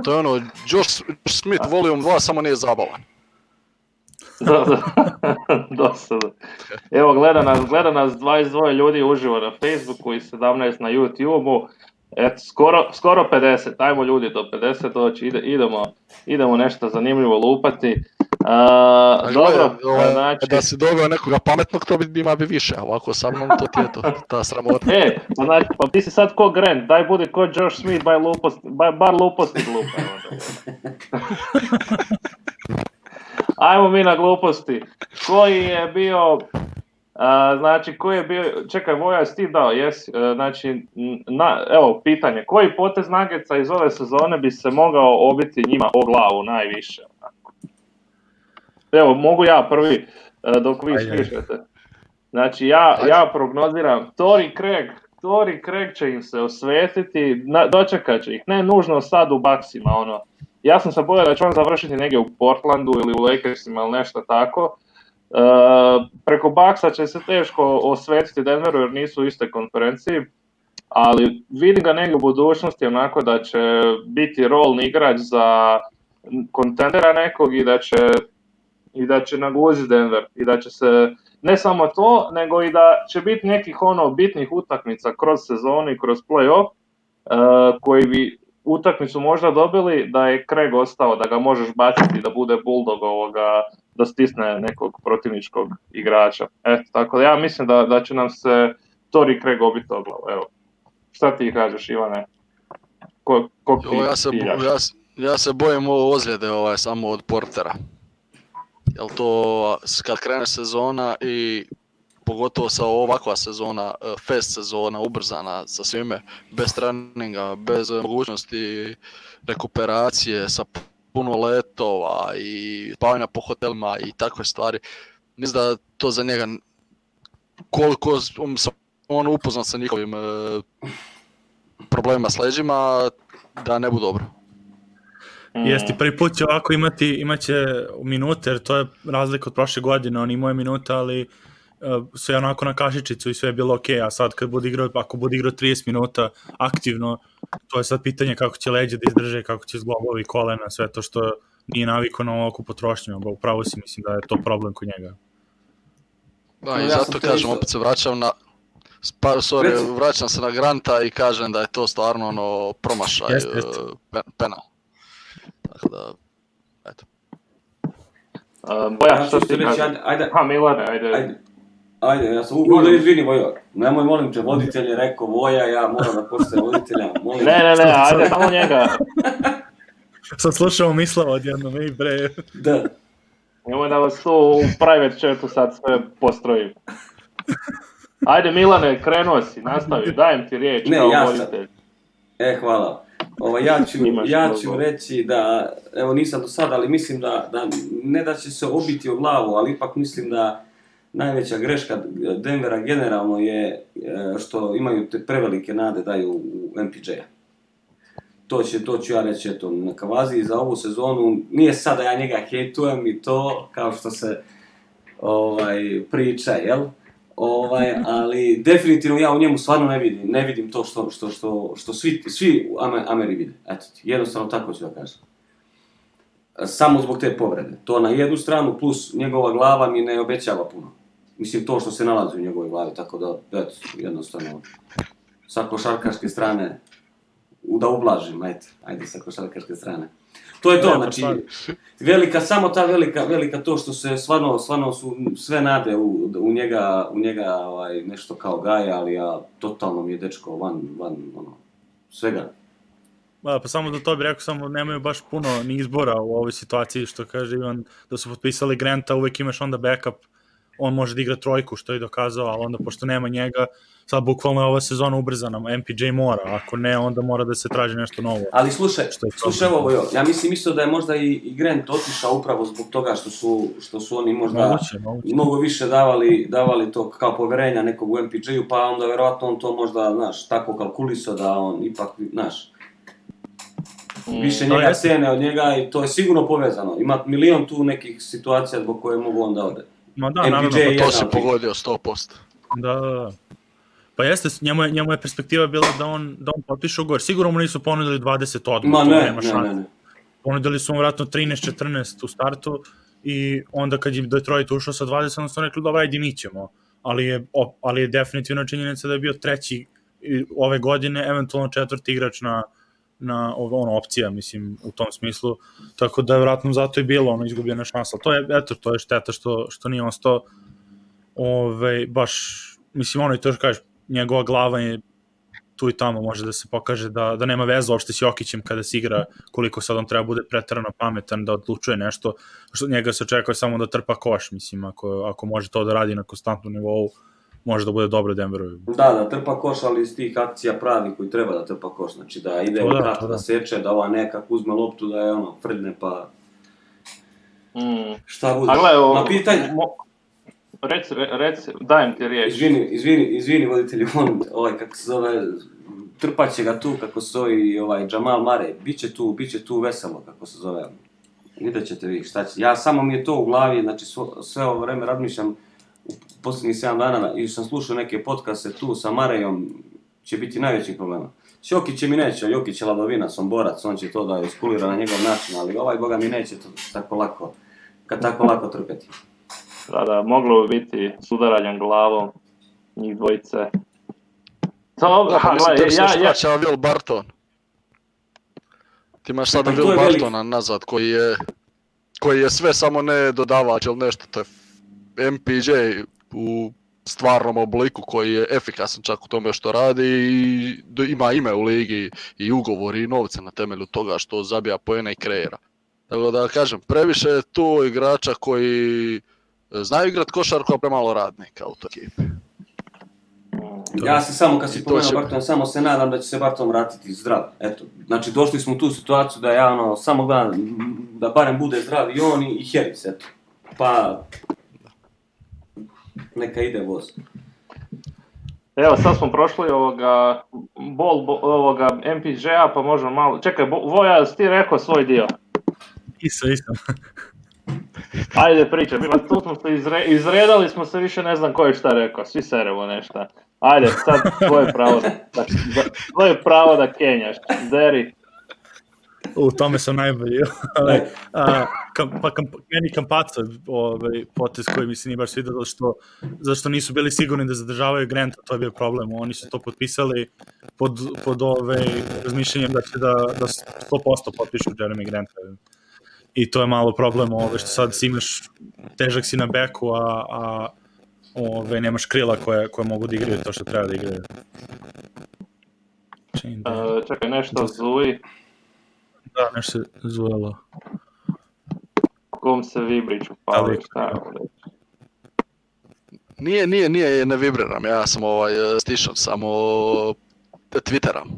to je Josh Smith Volume 2, samo nije zabavan. Dosta. Evo, gleda nas 22 ljudi uživo na Facebooku i 17 na YouTubeu. Eto, skoro 50, ajmo ljudi do 50 doći, idemo nešto zanimljivo lupati. Dobro, znači... Da si doveo nekoga pametnog, to bi ima više, ovako sa mnom to ti je to, ta sramota. Znači, pa ti si sad ko Grant, daj budi ko Josh Smith, bar luposti glupa. Ajmo mi na gluposti. Koji je bio, čekaj, Voja, jesi ti dao, jesi, znači, evo, pitanje, koji potez Nuggetsa iz ove sezone bi se mogao obiti njima o glavu najviše? Evo, mogu ja prvi, dok vi smišljate. Znači, ja prognoziram, Torrey Craig će im se osvetiti, dočekat će ih, ne nužno sad u Bucksima, ono. Ja sam se bojao da će on završiti negdje u Portlandu ili u Lakersima ili nešto tako. Preko Bucksa će se teško osvetiti Denveru jer nisu u iste konferenciji, ali vidim ga negdje u budućnosti onako da će biti rolni igrač za kontendera nekog i da će naguziti Denver i da će se, ne samo to, nego i da će biti nekih bitnih utakmica kroz sezonu i kroz play-off koji bi utakmicu možda dobili da je Craig ostao, da ga možeš baciti da bude bulldog da stisne nekog protivničkog igrača. Eto, tako da ja mislim da će nam se Torrey Craig obiti o glavu. Evo. Šta ti kažeš, Ivane? Ja se bojim ozljede samo od Portera. Jel to kad krene sezona i pogotovo sa ovakva sezona, fest sezona, ubrzana sa svime, bez treninga, bez mogućnosti rekuperacije, sa puno letova i spavanja po hotelima i takve stvari. Mislim da to za njega, koliko sam on upoznat sa njihovim problemima s leđima, da ne bu dobro. Jesti, prvi put će ovako imaće minute, jer to je razlika od prošle godine, on imao je minute, ali sve onako na kašičicu i sve je bilo okej, a sad ako bude igrao 30 minuta aktivno, to je sad pitanje kako će leđe da izdrže, kako će zglobovi, kolena, sve to što nije navikao na ovakvu potrošnju, upravo si mislim da je to problem kod njega. Da, i zato kažem, opet se vraćam na vraćam se na Granta i kažem da je to stvarno promašaj penal. Tako da, eto. Boja, što ti reći, ajde. Milane, ajde. Ajde, ja sam uglavno da izvini, Vojo. Nemoj, molim te, voditelj je rekao Voja, ja moram da postajem voditelja. Ne, ajde, samo njega. Sam slušao mislava odjednom, bre. Da. Nemoj da vas tu u private chatu sad sve postrojim. Ajde, Milane, krenuo si, nastavi, dajem ti riječ kao voditelj. Hvala. Ja ću reći da, evo nisam do sada, ali mislim da ne da će se obiti o glavu, ali ipak mislim da najveća greška Denvera generalno je što imaju te prevelike nade daju u MPJ-a. To ću ja reći eto, na Kavazi za ovu sezonu. Nije sad da ja njega hejtujem i to kao što se priča, jel? Ali definitivno ja u njemu stvarno ne vidim to što svi Ameri vide. Eto, jednostavno tako ću da kažem. Samo zbog te povrede. To na jednu stranu, plus njegova glava mi ne obećava puno. Mislim, to što se nalazi u njegovoj glavi, tako da, eto, jednostavno, sa košarkaške strane, da ublažim, ajde sa košarkaške strane. To je to, znači, samo ta velika to što se stvarno su sve nade u njega nešto kao Gaja, ali ja totalno mi je dečko van svega. Pa samo da to bih rekao, samo nemaju baš puno ni izbora u ovoj situaciji, što kaže Ivan, da su potpisali Granta, uvek imaš onda backup, on može da igra trojku, što je dokazao, ali onda pošto nema njega, sad bukvalno je ova sezona ubrzana, MPJ mora, ako ne, onda mora da se traži nešto novo. Ali slušaj ovo, ja mislim isto da je možda i Grant otišao upravo zbog toga što su oni možda mnogo više davali to kao poverenja nekog u MPJ-u, pa onda verovatno on to možda, znaš, tako kalkulisao da on ipak, znaš, više njega cene od njega i to je sigurno povezano. Ima milion tu nekih situacija zbog koje mogu onda ode. Ma da, naravno, to se pogodio 100%. Da. Pa jeste, njemu je perspektiva bila da on potpiše ugovor. Sigurno mu nisu ponudili 20 odmah, nema šanse. Ponudili su mu vratno 13-14 u startu i onda kad je Detroit ušao sa 20, onda su rekli, dobro, ajde mi ćemo. Ali je definitivno činjenica da je bio treći ove godine eventualno 4. igrač na opcija, mislim, u tom smislu, tako da je vratno zato i bilo izgubljena šansa. To je šteta što nije ostao baš, mislim, i to što kažeš, njegova glava je tu i tamo, može da se pokaže da nema veze uopšte s Jokićem kada se igra, koliko sad on treba bude preterano pametan da odlučuje nešto, što njega se očekuje samo da trpa koš, mislim, ako može to da radi na konstantnom nivou, može da bude dobro Denveru. Da trpa koš, ali iz tih akcija pravi koji treba da trpa koš, znači da ide u krat, da seče, da ova nekak uzme loptu, da je frdne pa... Šta bude? Na pitanje... Reci, dajem ti riječ. Izvini voditelji, kako se zove, trpat će ga tu, kako se zove Jamal Murray, biće tu veselo, kako se zove. Vidjet ćete vi šta će. Ja samo mi je to u glavi, znači sve ovo vreme razmišljam, u posljednjih 7 dana, i sam slušao neke podcaste tu sa Murrayom, će biti najveći problema. S Jokićem mi neće, Jokić je ladovinac, on borac, on će to da iskulira na njegov način, ali boga mi neće to tako lako trpeti. Da, moglo bi biti s udaranjem glavom njih dvojice. Ja Will Barton. Ti imaš sada Will Bartona nazad koji je sve samo ne dodavač ili nešto, to je MPJ u stvarnom obliku koji je efikasan čak u tome što radi i ima ime u ligi i ugovori i novce na temelju toga što zabija poene i kreira. Tako da kažem, previše je tu igrača koji znaju igrat košarku, a premalo radnika u toj ekipi. Ja se samo, kad si pomenuo Bartona, samo se nadam da će se Barton vratiti zdrav. Eto, znači došli smo u tu situaciju da ja samo gledam da barem bude zdrav i on i Harris, eto. Pa neka ide voz. Evo, sad smo prošli ovoga MPJ-a, pa možemo malo... Čekaj, Voja, si ti rekao svoj dio? Isam. Ajde pričaj, tu smo se izredali smo se, više ne znam ko je šta rekao, svi seremo nešto. Ajde, sad tvoje pravo da kenjaš, Deri. U tome sam najbolji. Meni Campazzo potez koji mi se nije baš svidio, zašto nisu bili sigurni da zadržavaju Granta, to je bio problem. Oni su to potpisali pod razmišljanjem da će da 100% potpišu Jeremy Granta. I to je malo problem, što sad imaš, težak si na beku, a nemaš krila koje mogu da igraju to što treba da igraju. Čekaj, nešto zuji. Da, nešto se zujelo. Kom se vibrić upali, šta je ovo? Nije, ne vibriram, ja sam stišam, samo Twitteram,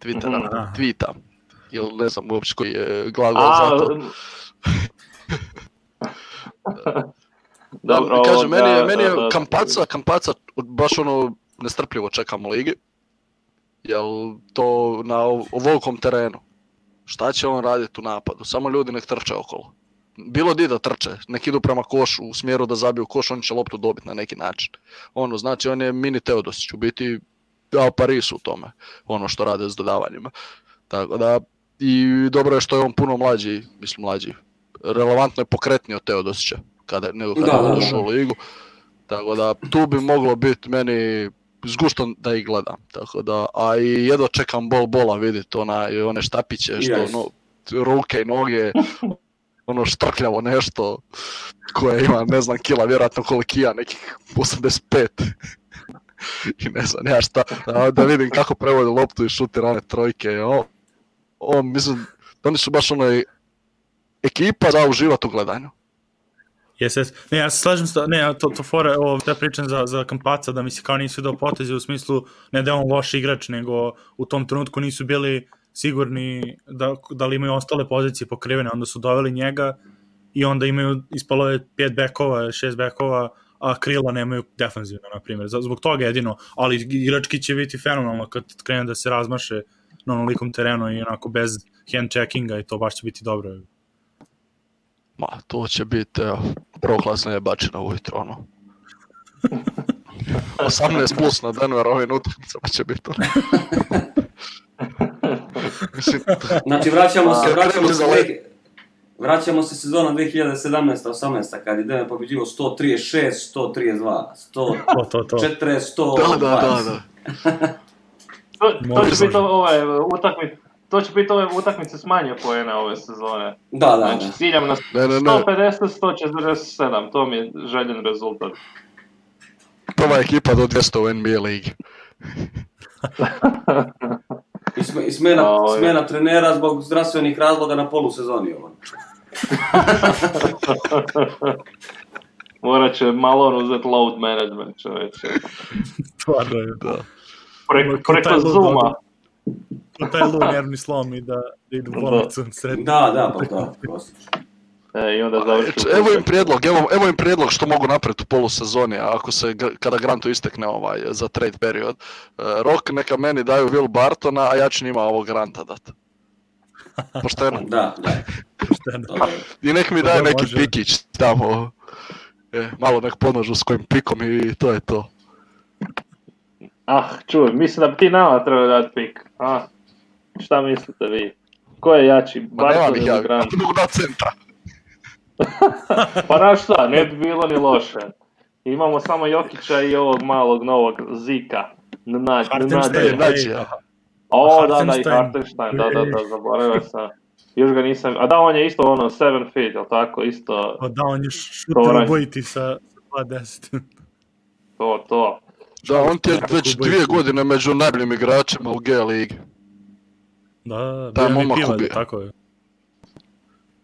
tweetam. Ili ne znam uopće koji je glagol za to. Dobro, kažem, meni je Campazzo baš nestrpljivo čekam u ligi. Jel to na ovolikom terenu? Šta će on raditi u napadu? Samo ljudi nek trče okolo. Bilo di da trče, nek idu prema košu u smjeru da zabiju koš, on će loptu dobiti na neki način. Znači on je mini Teodosić, u biti dao Parisu u tome, što rade s dodavanjima. Tako da, i dobro je što je on puno mlađi, relevantno je pokretniji od Teodosića nego kada je došao u ligu. Tako da, tu bi moglo biti meni zgušno da ih gledam. Tako da, a i jedva čekam bola vidjeti one štapiće, što ruke i noge, štrkljavo nešto koje ima, ne znam, kila, vjerojatno kolikija, nekih 85. I ne znam, ja šta, da vidim kako prevodi loptu i šutira one trojke. Mislim, oni su baš ekipa za uživati u gledanju. Yes. Ne, ja se slažem to fore, te pričam za Campazza, da mi se kao nisu dao poteze u smislu, ne da je on loš igrač, nego u tom trenutku nisu bili sigurni da li imaju ostale pozicije pokrivene, onda su doveli njega i onda imaju, ispalo je 5 bekova, 6 bekova, a krila nemaju defanzivno, na primjer. Zbog toga jedino, ali igrački će biti fenomenalno kad krene da se razmaše na onolikom terenu i onako bez hand checkinga i to baš će biti dobro. Ma, to će biti proklasna jebačina ujutro, 18 plus na Denver ovim utakmicama će biti. Znači, vraćamo se sezona 2017-18, kad je Denver pobjeđivo 136, 132, 140, 120. Da. To će biti ove utakmice s manje poena ove sezone. Da. Znači, ciljam na 150-147, to mi je željen rezultat. Prva ekipa do 200 u NBA ligi. I smjena trenera zbog zdravstvenih razloga na polusezoni. Morat će malo uzeti load management, čovječe. Stvarno je. Da. Preko Zooma. To je lud nervni slom i da idu u bolnicu srednje. Da, klasično. I onda završi. Evo im prijedlog što mogu napraviti u polusezoni, ako se, kada Grantu istekne za trade period. Rok neka meni daju Will Bartona, a ja ću njima ovog Granta dati. Pošteno. Da. I nek mi daje neki pikić tamo. Malo nek pomažu s kojim pikom i to je to. Čuj, mislim da bi ti nama trebao dati pik. Šta mislite vi? Ko je jači? Barton ili Grant? Mogu dati centra. Pa znaš šta, ne bi bilo ni loše. Imamo samo Jokića i ovog malog novog Zika. Hartenstein. I Hartenstein, da, zaboravio sam. Još ga nisam, on je isto 7 feet, jel tako, isto... Da, on je šuter obojiti sa 2-10. To. Da, on ti je već 2 godine među najboljim igračima u G ligi. Da, bio MVP, tako je.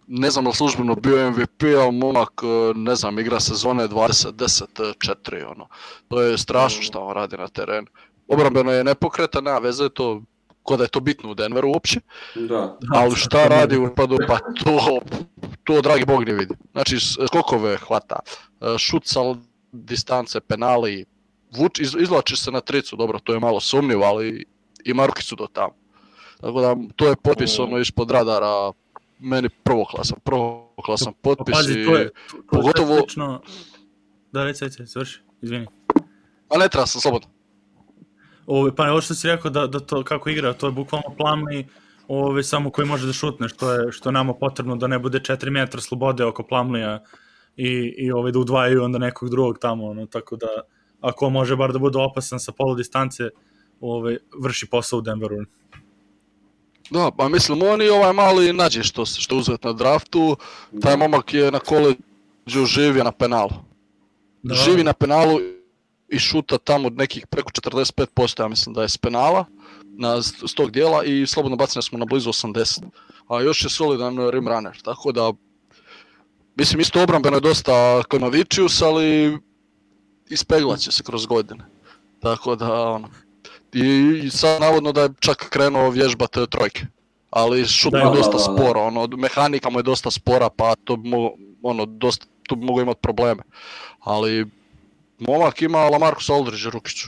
Ne znam li službeno bio MVP, ali momak, ne znam, igra sezone 20-10-4, To je strašno što on radi na terenu. Obrambeno je nepokretan, nema veze, to ko da je to bitno u Denveru uopće. Da. Ali šta radi u napadu, pa to dragi Bog ne vidi. Znači, skokove hvata, šut sa distance, penali, izvlači se na tricu, dobro, to je malo sumnjivo, ali ima rukicu do tamo. Tako da, to je potpis ispod radara, meni prvoklasan potpis. Pazi, to je slično... Da, reci, završi, izvini. A ne treba sam, slobodno. Pa ovo što si rekao da to kako igra, to je bukvalno Plumlee, samo koji može da šutne, što je nama potrebno da ne bude 4 metra slobode oko Plumleeja i da udvajaju onda nekog drugog tamo, tako da ako može bar da bude opasan sa polu distance, vrši posao u Denveru. Da, pa mislim, on i mali nađe što uzeti na draftu, taj momak je na koleđu živio na penalu. Živi na penalu i šuta tamo nekih preko 45%, ja mislim da je s penala, s tog dijela i slobodno bacanja smo na blizu 80%. A još je solidan rim runner, tako da, mislim, isto obrambeno je dosta Klimavičius, ali ispeglat će se kroz godine. Tako da, i sad navodno da je čak krenuo vježbati trojke, ali šut je dosta sporo, mehanika mu je dosta spora, pa to bi tu mogu imati probleme. Ali momak ima Lamarcus Aldridge rukiću.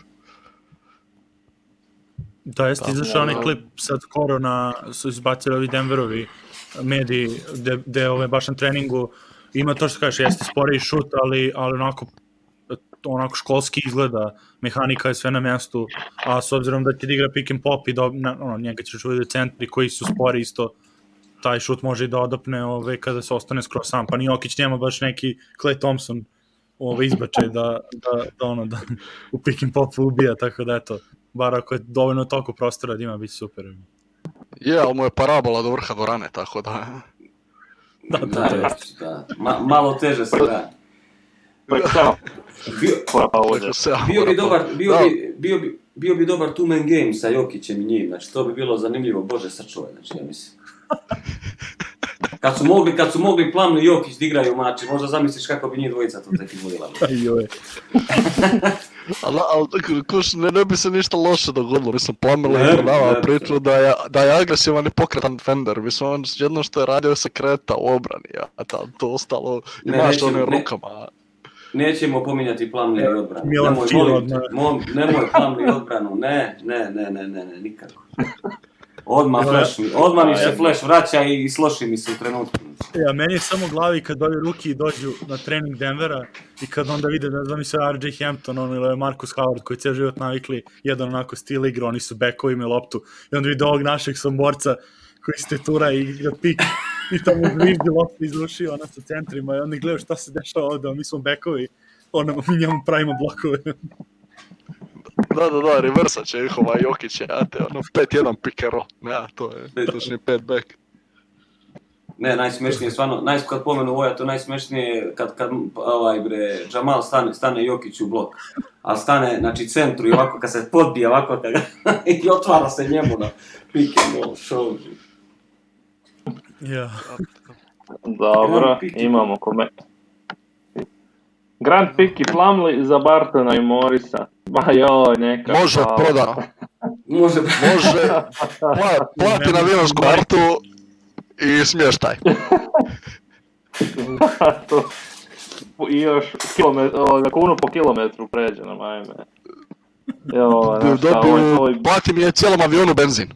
Da, jeste izašao onaj klip sad skoro su izbacili ovi Denverovi mediji gde baš na treningu ima to što kažeš, jeste sporiji šut, ali onako školski izgleda, mehanika je sve na mjestu, a s obzirom da će da igra pick and pop i njega ćeš uvijeti centri koji su spori isto, taj šut može i da odapne kada se ostane skroz sam, pa ni Jokić nema baš neki Klay Thompson izbačaj da u pick and popu ubija, tako da eto, bar ako je dovoljno toliko prostora da ima, bit super. Je, ali mu je parabola do vrha dvorane, tako da... Da. Malo teže se da. Bio bi dobar two-man game sa Jokićem i njim, znači to bi bilo zanimljivo, Bože sačuvaj, znači ja mislim. Kad su mogli Plumlee i Jokić da igraju mači, možda zamisliš kako bi njih dvojica to tek izvodila. Ali ne bi se ništa loše dogodilo, mislim, Plumlee je prodavao priču da je agresivan i pokretan defender, mislim, on jedno što je radio se kreta u obrani, a to ostalo imaš one rukama. Nećemo pominjati Plumlee i odbranu. Nemoj Plumlee i odbranu, ne, nikako. Odmah mi se flash vraća i sloši mi se u trenutku. Ja, meni je samo u glavi kad ovi ruki dođu na trening Denvera i kad onda vide, ne znam, se RJ Hampton ili Marcus Howard koji cijel život navikli jedan onako stil igra, oni su bekovi imaju loptu i onda vide ovog našeg somborca koji se tura i igra pik i tamo zviždi loptu izrušio ona sa centrima i onda gledaju šta se dešava ovdje, mi smo bekovi, mi njemu pravimo blokove. Da, reversa će njihova Jokić, ono 5-1 pick and roll, ne, to je točni 5 back. Ne, najsmešnije stvarno, kad pomenu Voja, to najsmešnije kad Jamal stane Jokić u blok, ali stane, znači, centru i ovako kad se podbija ovako i otvara se njemu na pick and roll show. Ja. Dobro, imamo Grant Pick i Plumlee za Bartona i Morrisa. Ma joj, neka. Može prodano. Može. Plati na vinovsku kartu i smještaj. I još kunu po kilometru pređe nam, ajme. Plati mi je cijelom avionu benzin.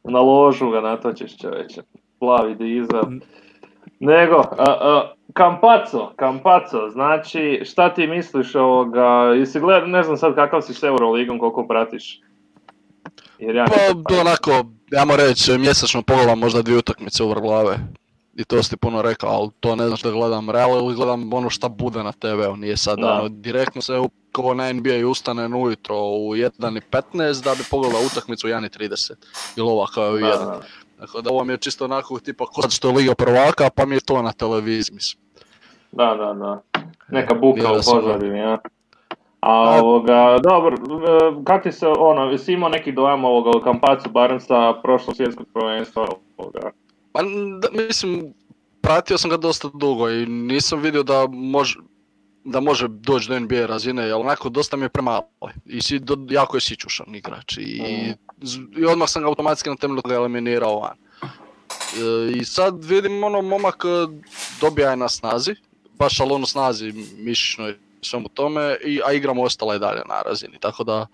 Na ložu ga natočiš, čoveče. Plavi dizel. Nego, Campazzo, znači, šta ti misliš ovoga, jesi gledao, ne znam sad kakav si s Euroligom, koliko pratiš? Pa, onako, ajmo reći, mjesečno pogledam možda 2 utakmice uvrh glave. I to si ti puno rekao, ali to ne znaš da gledam Real ili gledam ono šta bude na TV-u, nije sad ono, direktno se kao na NBA ustane ujutro u 1:15 da bi pogledao utakmicu u 1:30 ili ova kao u 1. Dakle, da ovo mi je čisto onako tipa ko sad što je Liga prvaka, pa mi je to na televiziji, mislim. Da. Neka buka u pozadini, ja. A dobro, kak ti se, jesi imao neki dojam o Campazzu, barem sa prošlog svjetskog prvenstva ovoga? Pa, mislim, pratio sam ga dosta dugo i nisam vidio da može doći do NBA razine, jer onako dosta mi je premalo i jako je sićušan igrač i odmah sam ga automatski na temelju toga eliminirao van. I sad vidim momak dobija je na snazi, baš ali snazi mišićnoj svemu tome, a igramo ostala je dalje na razini, tako da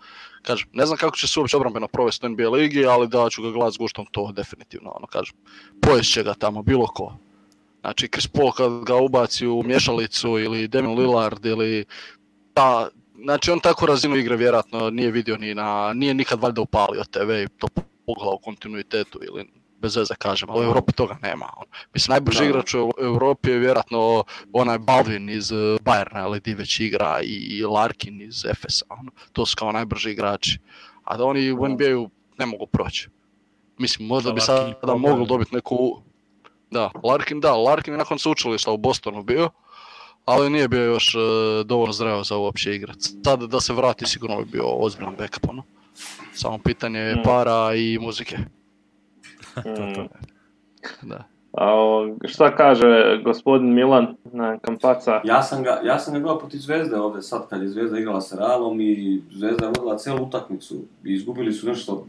kažem, ne znam kako će se uopće obrambeno provesti u NBA ligi, ali da ću ga gledat s guštom, to definitivno, kažem, pojest će ga tamo bilo ko. Znači, Chris Paul kad ga ubaci u mješalicu ili Damian Lillard ili znači on takvu razinu igre vjerojatno nije vidio nije nikad valjda upalio TV i to pogledao u kontinuitetu ili bez veze kažem, ali u Europi toga nema. Mislim, najbrži igrač u Europi je vjerojatno onaj Baldwin iz Bayerna, ali di već igra, i Larkin iz Efesa, to su kao najbrži igrači. A da oni u NBA-u ne mogu proći. Mislim, možda bi sada mogli dobiti neku... Larkin je nakon sveučilišta u Bostonu bio, ali nije bio još dovoljno zreo za uopće igrat. Sad da se vrati sigurno bi bio ozbiljan backup, Samo pitanje je para i muzike. Da. A šta kaže gospodin Milan na Campazza? Ja sam ga gledao protiv Zvezde ovdje sad kad je Zvezda igrala sa Realom i Zvezda je vodila cijelu utakmicu i izgubili su nešto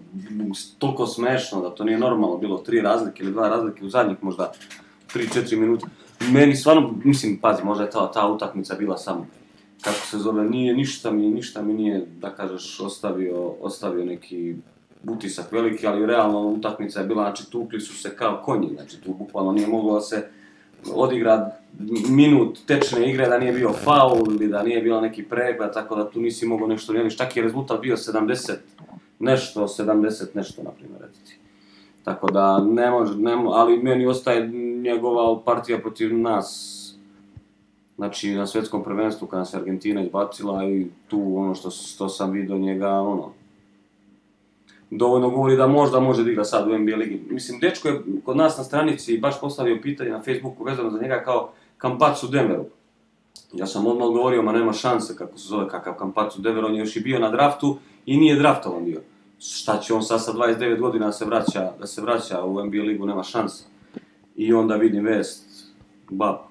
toliko smešno da to nije normalno bilo, 3 razlike ili 2 razlike u zadnjih možda 3-4 minuta. Meni stvarno, mislim, pazi, možda je ta utakmica bila samo, kako se zove, ništa mi nije, da kažeš, ostavio neki utisak veliki, ali realno utakmica je bila, znači tukli su se kao konji, znači tu bukvalno nije moglo da se odigra minut tečne igre da nije bio faul ili da nije bilo neki pregled, tako da tu nisi mogao nešto nijeliš, čak je rezultat bio 70 nešto, na primjer, reciti. Tako da ne može, ali meni ostaje njegova partija protiv nas, znači na svjetskom prvenstvu kada se Argentina izbacila i tu što sam vidio njega, dovoljno govori da možda može da igra sad u NBA ligi. Mislim, dečko je kod nas na stranici baš postavio pitanje na Facebooku vezano za njega kao Campazzo u Denveru. Ja sam odmah govorio, ma nema šanse kako se zove kakav Campazzo u Denveru, on je još i bio na draftu i nije draftovan bio. Šta će on sad sa 29 godina da se vraća u NBA ligu, nema šanse. I onda vidim vest,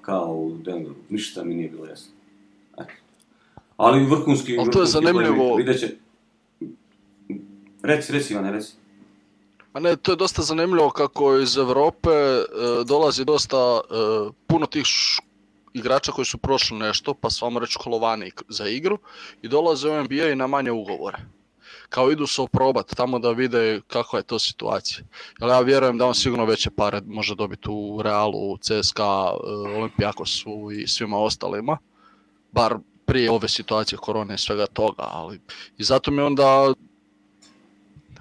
kao u Denveru, ništa mi nije bilo jasno. Ali vrhunski... Ali to je zanimljivo... Videće... Reci, Ivane, reci. A ne, to je dosta zanimljivo kako iz Europe dolazi dosta puno tih igrača koji su prošli nešto, pa su vam reći školovani za igru, i dolaze u NBA i na manje ugovore. Kao idu se oprobati tamo da vide kakva je to situacija. Jer ja vjerujem da on sigurno veće pare može dobiti u Realu, u CSKA, Olimpijakosu i svima ostalima. Bar prije ove situacije korone i svega toga, ali i zato mi onda...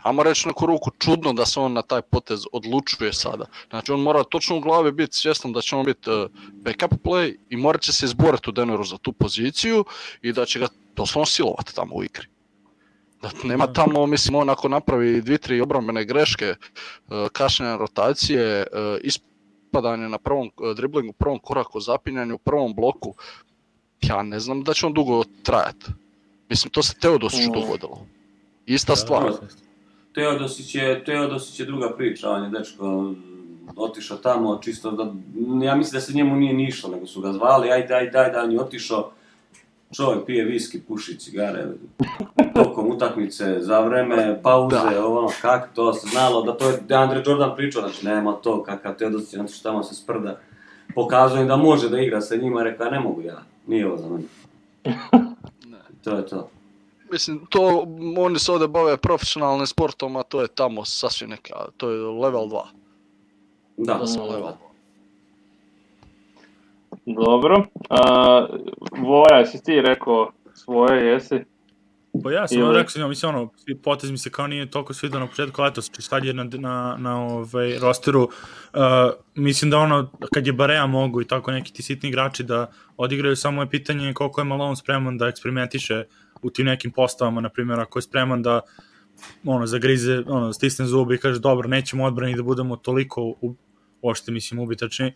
ajmo reći neku ruku, čudno da se on na taj potez odlučuje sada. Znači on mora točno u glavi biti svjestan da će on biti backup play i morat će se izboriti u Denveru za tu poziciju i da će ga doslovno silovati tamo u igri. Da nema tamo, mislim, on ako napravi 2-3 obrambene greške, kašnjenja rotacije, ispadanje na prvom driblingu, prvom koraku, zapinjanju, prvom bloku, ja ne znam da će on dugo trajati. Mislim, to se Teodosiću dogodilo. Ista stvar. Teodosić je druga priča, on je dečko otišao tamo čisto da, ja mislim da se njemu nije nišlo, nego su ga zvali, ajde, on je otišao, čovjek pije viski, puši cigare, tokom utakmice, za vreme pauze, ono, kako to se znalo, da to je Andre Jordan pričao, znači nema to, kakav Teodosić, znači što tamo se sprda, pokazujem da može da igra sa njima, rekao, ne mogu ja, nije ovo za mene. To je to. Mislim, to, oni se ovdje bave profesionalnim sportom, a to je tamo sasvim neka, to je level 2. Da, sam level 2. Dobro. Voja, jesi ti rekao svoje, jesi? Pa ja sam rekao, mislim, ono, potez mi se kao nije toliko svidio na početku letos, sad je na rosteru, mislim da ono, kad je Barea mogu i tako neki ti sitni igrači da odigraju, samo je pitanje koliko je Malone spreman da eksperimentiše u tim nekim postavama, na primjer, ako je spreman da zagrize, stisne zubi i kaže, dobro, nećemo odbrani da budemo toliko uopšte, mislim, ubitačni,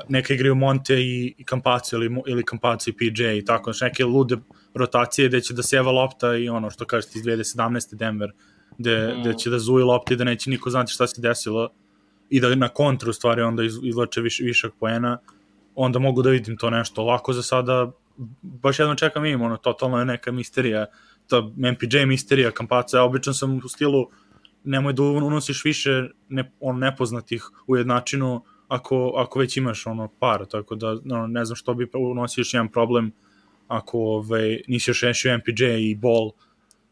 neka igraju Monte i Campazzo ili Campazzo i PJ i tako, znači neke lude rotacije gde će da seva lopta i ono što kažete iz 2017. Denver, gde će da zuji lopta i da neće niko znati šta se desilo i da na kontru stvari onda izvlače višak poena, onda mogu da vidim to nešto lako za sada, baš jednom čekam im, totalno je neka misterija, ta MPJ misterija, Campazzo, ja obično sam u stilu nemoj da unosiš više nepoznatih u jednačinu ako već imaš par, tako da ne znam što bi unosio još jedan problem ako nisi još rešio MPJ i Ball,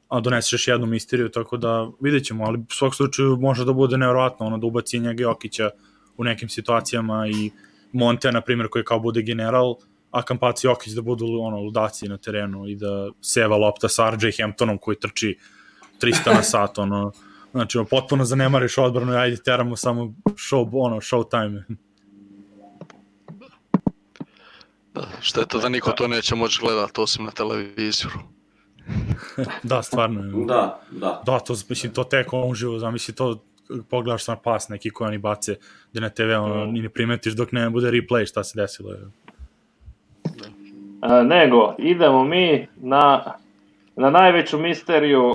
a doneseš još jednu misteriju, tako da vidjet ćemo, ali u svog slučaju može da bude nevjerovatno da ubaci njega Jokića u nekim situacijama i Monte, na primjer, koji kao bude general, a Campazzo i Jokić da budu ludaci na terenu i da seva lopta sa RJ Hamptonom koji trči 300 na sat, znači, potpuno zanemariš odbranu i ajde teramo samo show time. Što je to da niko to neće moći gledati osim na televiziju. Da, stvarno. Da. Da, to, mislim, to tek uživo, zamisli to, pogledaš na pas neki koji oni bace gde na TV, ni ne primetiš dok ne bude replay šta se desilo. Nego, idemo mi na najveću misteriju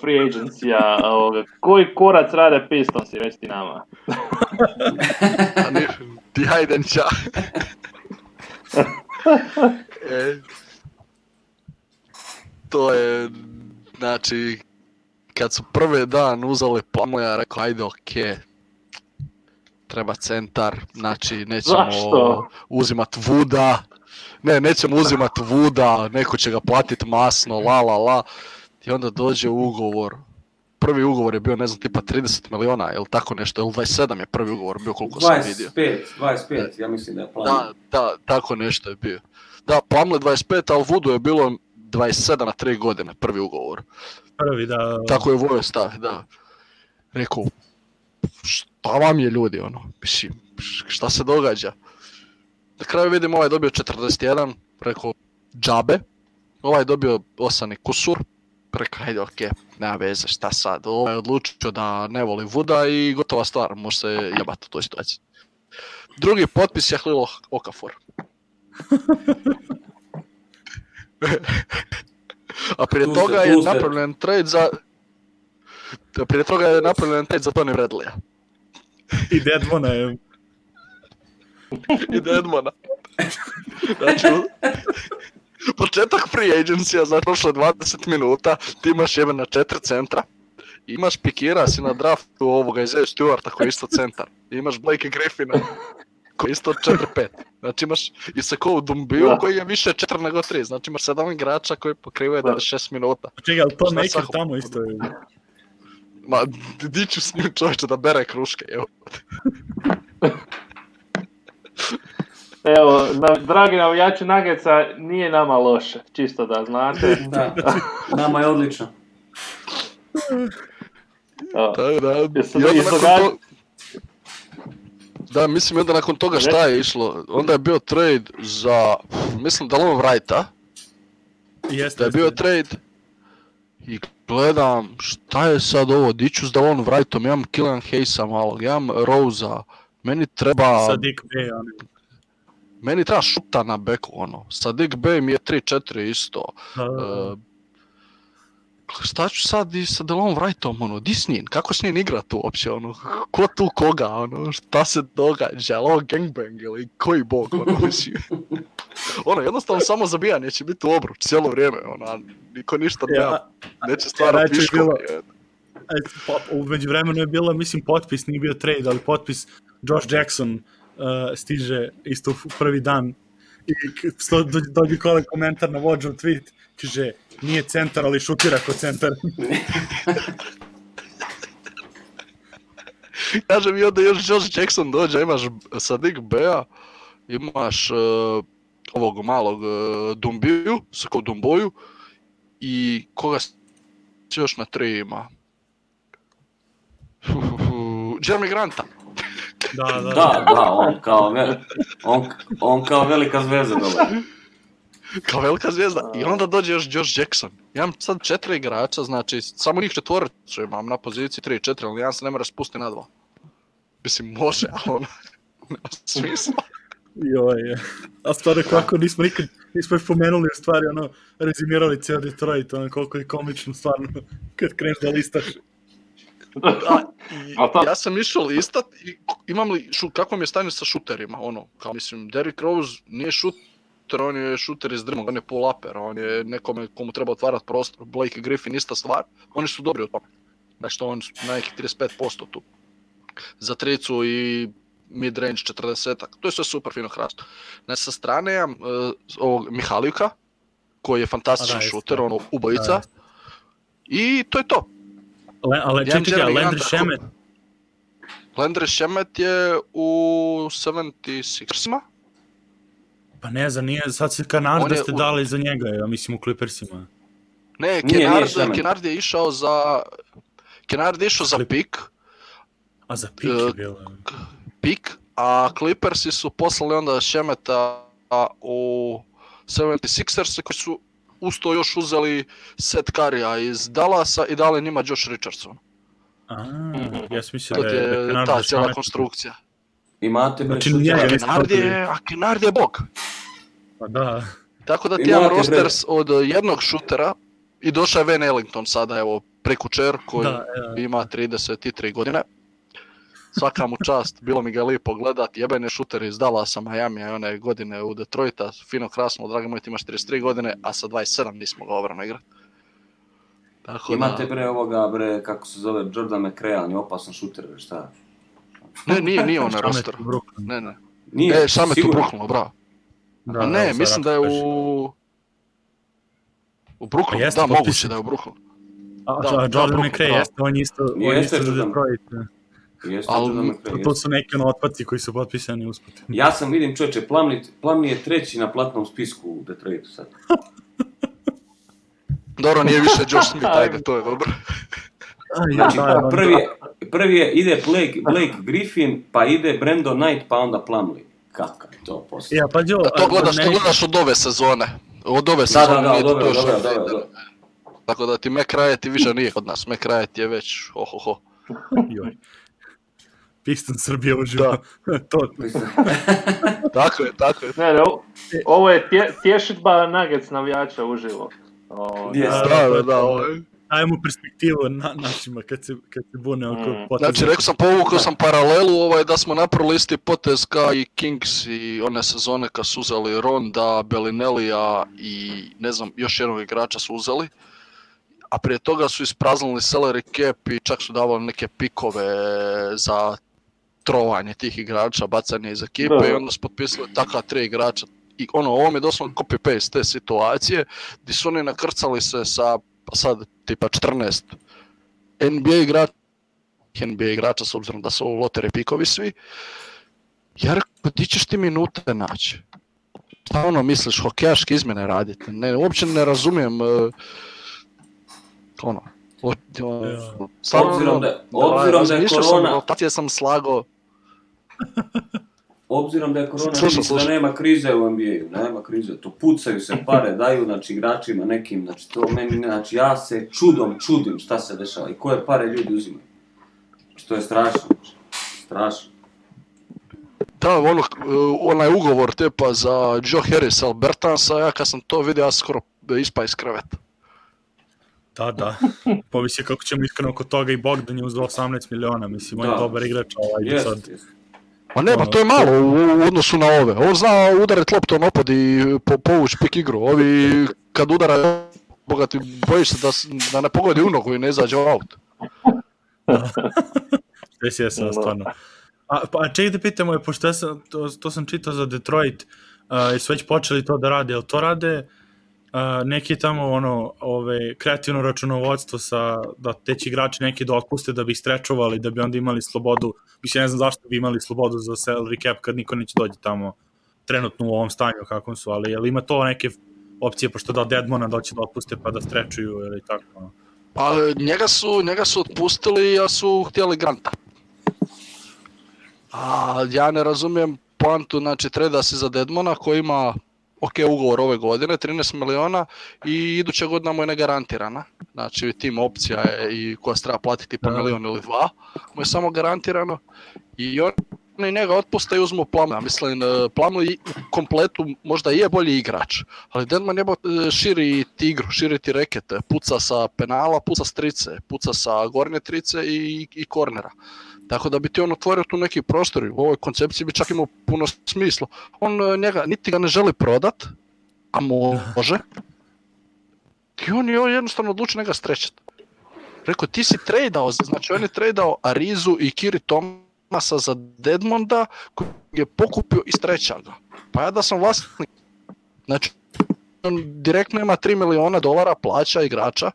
free agencija ovoga. Koji korac rade Pistonsi, reci ti nama? Ti hajden ča. To je, znači, kad su prvi dan uzeli planu, ja rekao, ajde, okej. Treba centar, znači, nećemo uzimati Vuda. Nećemo uzimati Vuda, neko će ga platiti masno, la. I onda dođe ugovor. Prvi ugovor je bio, ne znam, tipa 30 miliona, ili tako nešto, ili 27 je prvi ugovor bio, koliko sam vidio. 25, ja mislim da je plan. Da, tako nešto je bio. Da, Plumlee 25, ali Vudu je bilo 27 na 3 godine, prvi ugovor. Prvi, da. Tako je Vojo stavi, da. Rekao, šta vam je ljudi, mislim, šta se događa? Na kraju vidim, ovaj dobio 41, rekao, džabe. Ovaj dobio 8 i kusur. Rekao, ajde, okej, nema veze, šta sad. Ovaj je odlučio da ne voli Vuda i gotova stvar, može se jebati u toj situaciji. Drugi potpis je Jahlil Okafor. A prije toga je napravljen trade za... Prije toga je napravljen trade za Tony Bradleya. I Dedmona je... I Dedmona. Znači, početak free agencija, znači prošlo 20 minuta, ti imaš jebe na 4 centra, imaš pikira si na draftu ovoga Isaiah Stewarta koji je isto centar, imaš Blake Griffina koji je isto 4-5, znači imaš Isekou Dumbiju koji je više 4 nego 3, znači imaš 7 igrača koji pokrivaju 96 minuta. Čekaj, ali to Maker tamo isto je... Ma, di ću s njim čovječe da bere kruške, evo. Evo, dragi navijači Nuggetsa, nije nama loše, čisto da znate. Da, nama je odlično. Da, mislim onda nakon toga šta je išlo, onda je bio trade za, mislim Delon Wrighta, da je bio trade i gledam šta je sad ovo, diću s Delon Wrightom, imam Killian Hayesa malog, imam Rosea, meni treba... Saddiq Bey, meni treba šuta na beku, Saddiq Bey mi je 3-4 isto. Šta ću sad i sa Delon Wrightom, di s njim, kako s njim igrat uopće, ko tu koga, šta se događa, je li ovo gangbang ili koji bog, mislim. Jednostavno samo zabijanje će biti u obruč cijelo vrijeme, niko ništa neće stvarati viškove. U međuvremenu je bilo, mislim, potpis, nije bio trade, ali potpis Josh Jackson stiže isto u prvi dan i dođe komentar na Vođov tweet, kaže, nije centar, ali šutira ko centar. Kaže mi onda još Josh Jackson dođe, imaš Saddiq Beya, imaš ovog malog Dumbiju, Sako Dumboju i koga se još na 3 ima? Jeremy Granta. Da, on kao velika zvezda dobar. Kao velika zvijezda. I onda dođe još Josh Jackson. Imam sad 4 igrača, znači samo njih 4 imam na poziciji 3-4, ali jedan se ne mora spustiti na 2. Mislim, može, ali nema smisla. Joj, a stvarno kako nismo još pomenuli u stvari, rezimirali cijel Detroit, koliko je komično stvarno kad kreneš da listaš. Ja sam išao listat i imam li, kako mi je stanje sa šuterima, kao mislim, Derrick Rose nije šuter, on je šuter iz drmog, on je pull-upper, on je nekome komu treba otvarati prostor, Blake Griffin ista stvar, oni su dobri u tome, znači on su na nekih 35% tu, za tricu i mid-range 40-ak, to je sve super fino hrasto. Znači sa strane imam ovog Mihaljuka, koji je fantastičan šuter, ubojica, i to je to. Ali čekaj, Landry Shamet? Landry Shamet je u 76ersima. Pa ne znam, nije, sad se Kennard ste dali za njega, ja mislim u Clippersima. Ne, Kennard je išao za pik. A za pik je bilo? Pik, a Clippersi su poslali onda Shameta u 76ers koji su usto još uzeli Seth Currya iz Dallasa i dali njima Josh Richardson. Ja sam mislio da je Kennard ta cijela konstrukcija. Imate Kennard je bog. Pa da. Tako da ti imam rosters od jednog šutera i došao je Van Ellington sada, evo, prekučer koji ima 33 godine. Svaka mu čast, bilo mi ga lijepo gledat, jeben je šuter iz Dallasa, Miami, one godine u Detroita, fino krasno, dragi moj, ti imaš 33 godine, a sa 27 nismo ga obrano igrati. Imate ovoga, kako se zove, Jordan McRae, on je opasan šuter, šta? Nije on na rosteru. Ne. Nije, Shamet u Brooklynu, bravo. Ne, mislim da je u Brooklynu, da, moguće da je u Brooklynu. Jordan McRae jeste, on isto za Detroit. To su neki otpaci koji su potpisani usput. Ja sam, vidim čovječe, Plumlee je 3. na platnom spisku u Detroitu sad. Dobro, nije više Josh Smith, ajde, to je dobro. Znači, prvi ide Blake Griffin, pa ide Brandon Knight, pa onda Plumlee. Kakav to poslije? To gledaš od ove sezone. Od ove sezone nije to još. Tako da ti McRae ti više nije kod nas. McRae ti je već ho. Joj. Piston Srbije uživa. Tako je. Ne, ovo je tješitba Nuggets navijača uživo. Dajemo perspektivu našima kad se bune oko poteza. Znači, rekao sam, povukao sam paralelu da smo napravili isti potez kao i Kings i one sezone kad su uzeli Ronda, Bellinellija i ne znam, još jednog igrača su uzeli. A prije toga su ispraznili salary cap i čak su davali neke pikove za trovanje tih igrača, bacanje iz ekipe i onda su potpisali takva 3 igrača. I ovo mi je doslovno copy-paste te situacije gdje su oni nakrcali se sa sad tipa 14 NBA igrača s obzirom da su ovo loteri pikovi svi. Ja rekao, ti ćeš ti minute naći. Šta misliš, hokejaške izmjene raditi? Uopće ne razumijem Obzirom da je korona... Rotacije sam slagao. Obzirom da je korona, mislim da nema krize u NBA-u, nema krize, to pucaju se pare, daju, znači, igračima nekim, znači, to meni, znači, ja se čudim šta se dešava i koje pare ljudi uzimaju. Što je strašno, strašno. Da, onaj ugovor tipa za Joe Harris Albertansa, ja kad sam to vidio, ja skoro ispa iz kreveta. Da. Povisi kako ćemo iskreno oko toga i Bogdan je uzeo 18 miliona, mislim, on je dobar igrač, do sad. Ma ne, to je malo u odnosu na ove. On zna udariti loptom opad i povući pik igru. Ovi kad udara, bogati, bojiš se da ne pogodi u nogu i ne izađe u aut. Sve je stvarno. Pa čekaj da pitamo, pošto to sam čitao za Detroit, su već počeli to da rade, jel to rade neki tamo kreativno računovodstvo da teći igrači neki da otpuste da bi ih strečovali, da bi onda imali slobodu, mislim ne znam zašto bi imali slobodu za salary cap kad niko neće dođe tamo trenutno u ovom stanju kakvom su, ali jel ima to neke opcije, pošto da Deadmona doći da otpuste pa da strečuju ili tako? Pa njega su otpustili, ja su htjeli Granta. A ja ne razumijem poantu, znači treda se za Deadmona koji ima ugovor ove godine, 13 miliona i iduća godina mu je negarantirana. Znači tim opcija je i koja se treba platiti po milion ili dva, mu je samo garantirano i oni njega otpuste i uzmu Plumlee. Mislim, Plumlee u kompletu možda je bolji igrač, ali Deadman širi ti igru, širi ti rekete, puca sa penala, puca s trice, puca sa gornje trice i kornera. Tako da bi ti on otvorio tu neki prostor i u ovoj koncepciji bi čak imao puno smisla. On njega, niti ga ne želi prodat, a može. I on je jednostavno odlučio njega strećati. Rekao, ti si trejdao, znači on je trejdao Arizu i Kiri Thomasa za Deadmonda koji je pokupio i streća ga. Pa ja da sam vlasnik, znači on direktno ima $3 miliona plaća igrača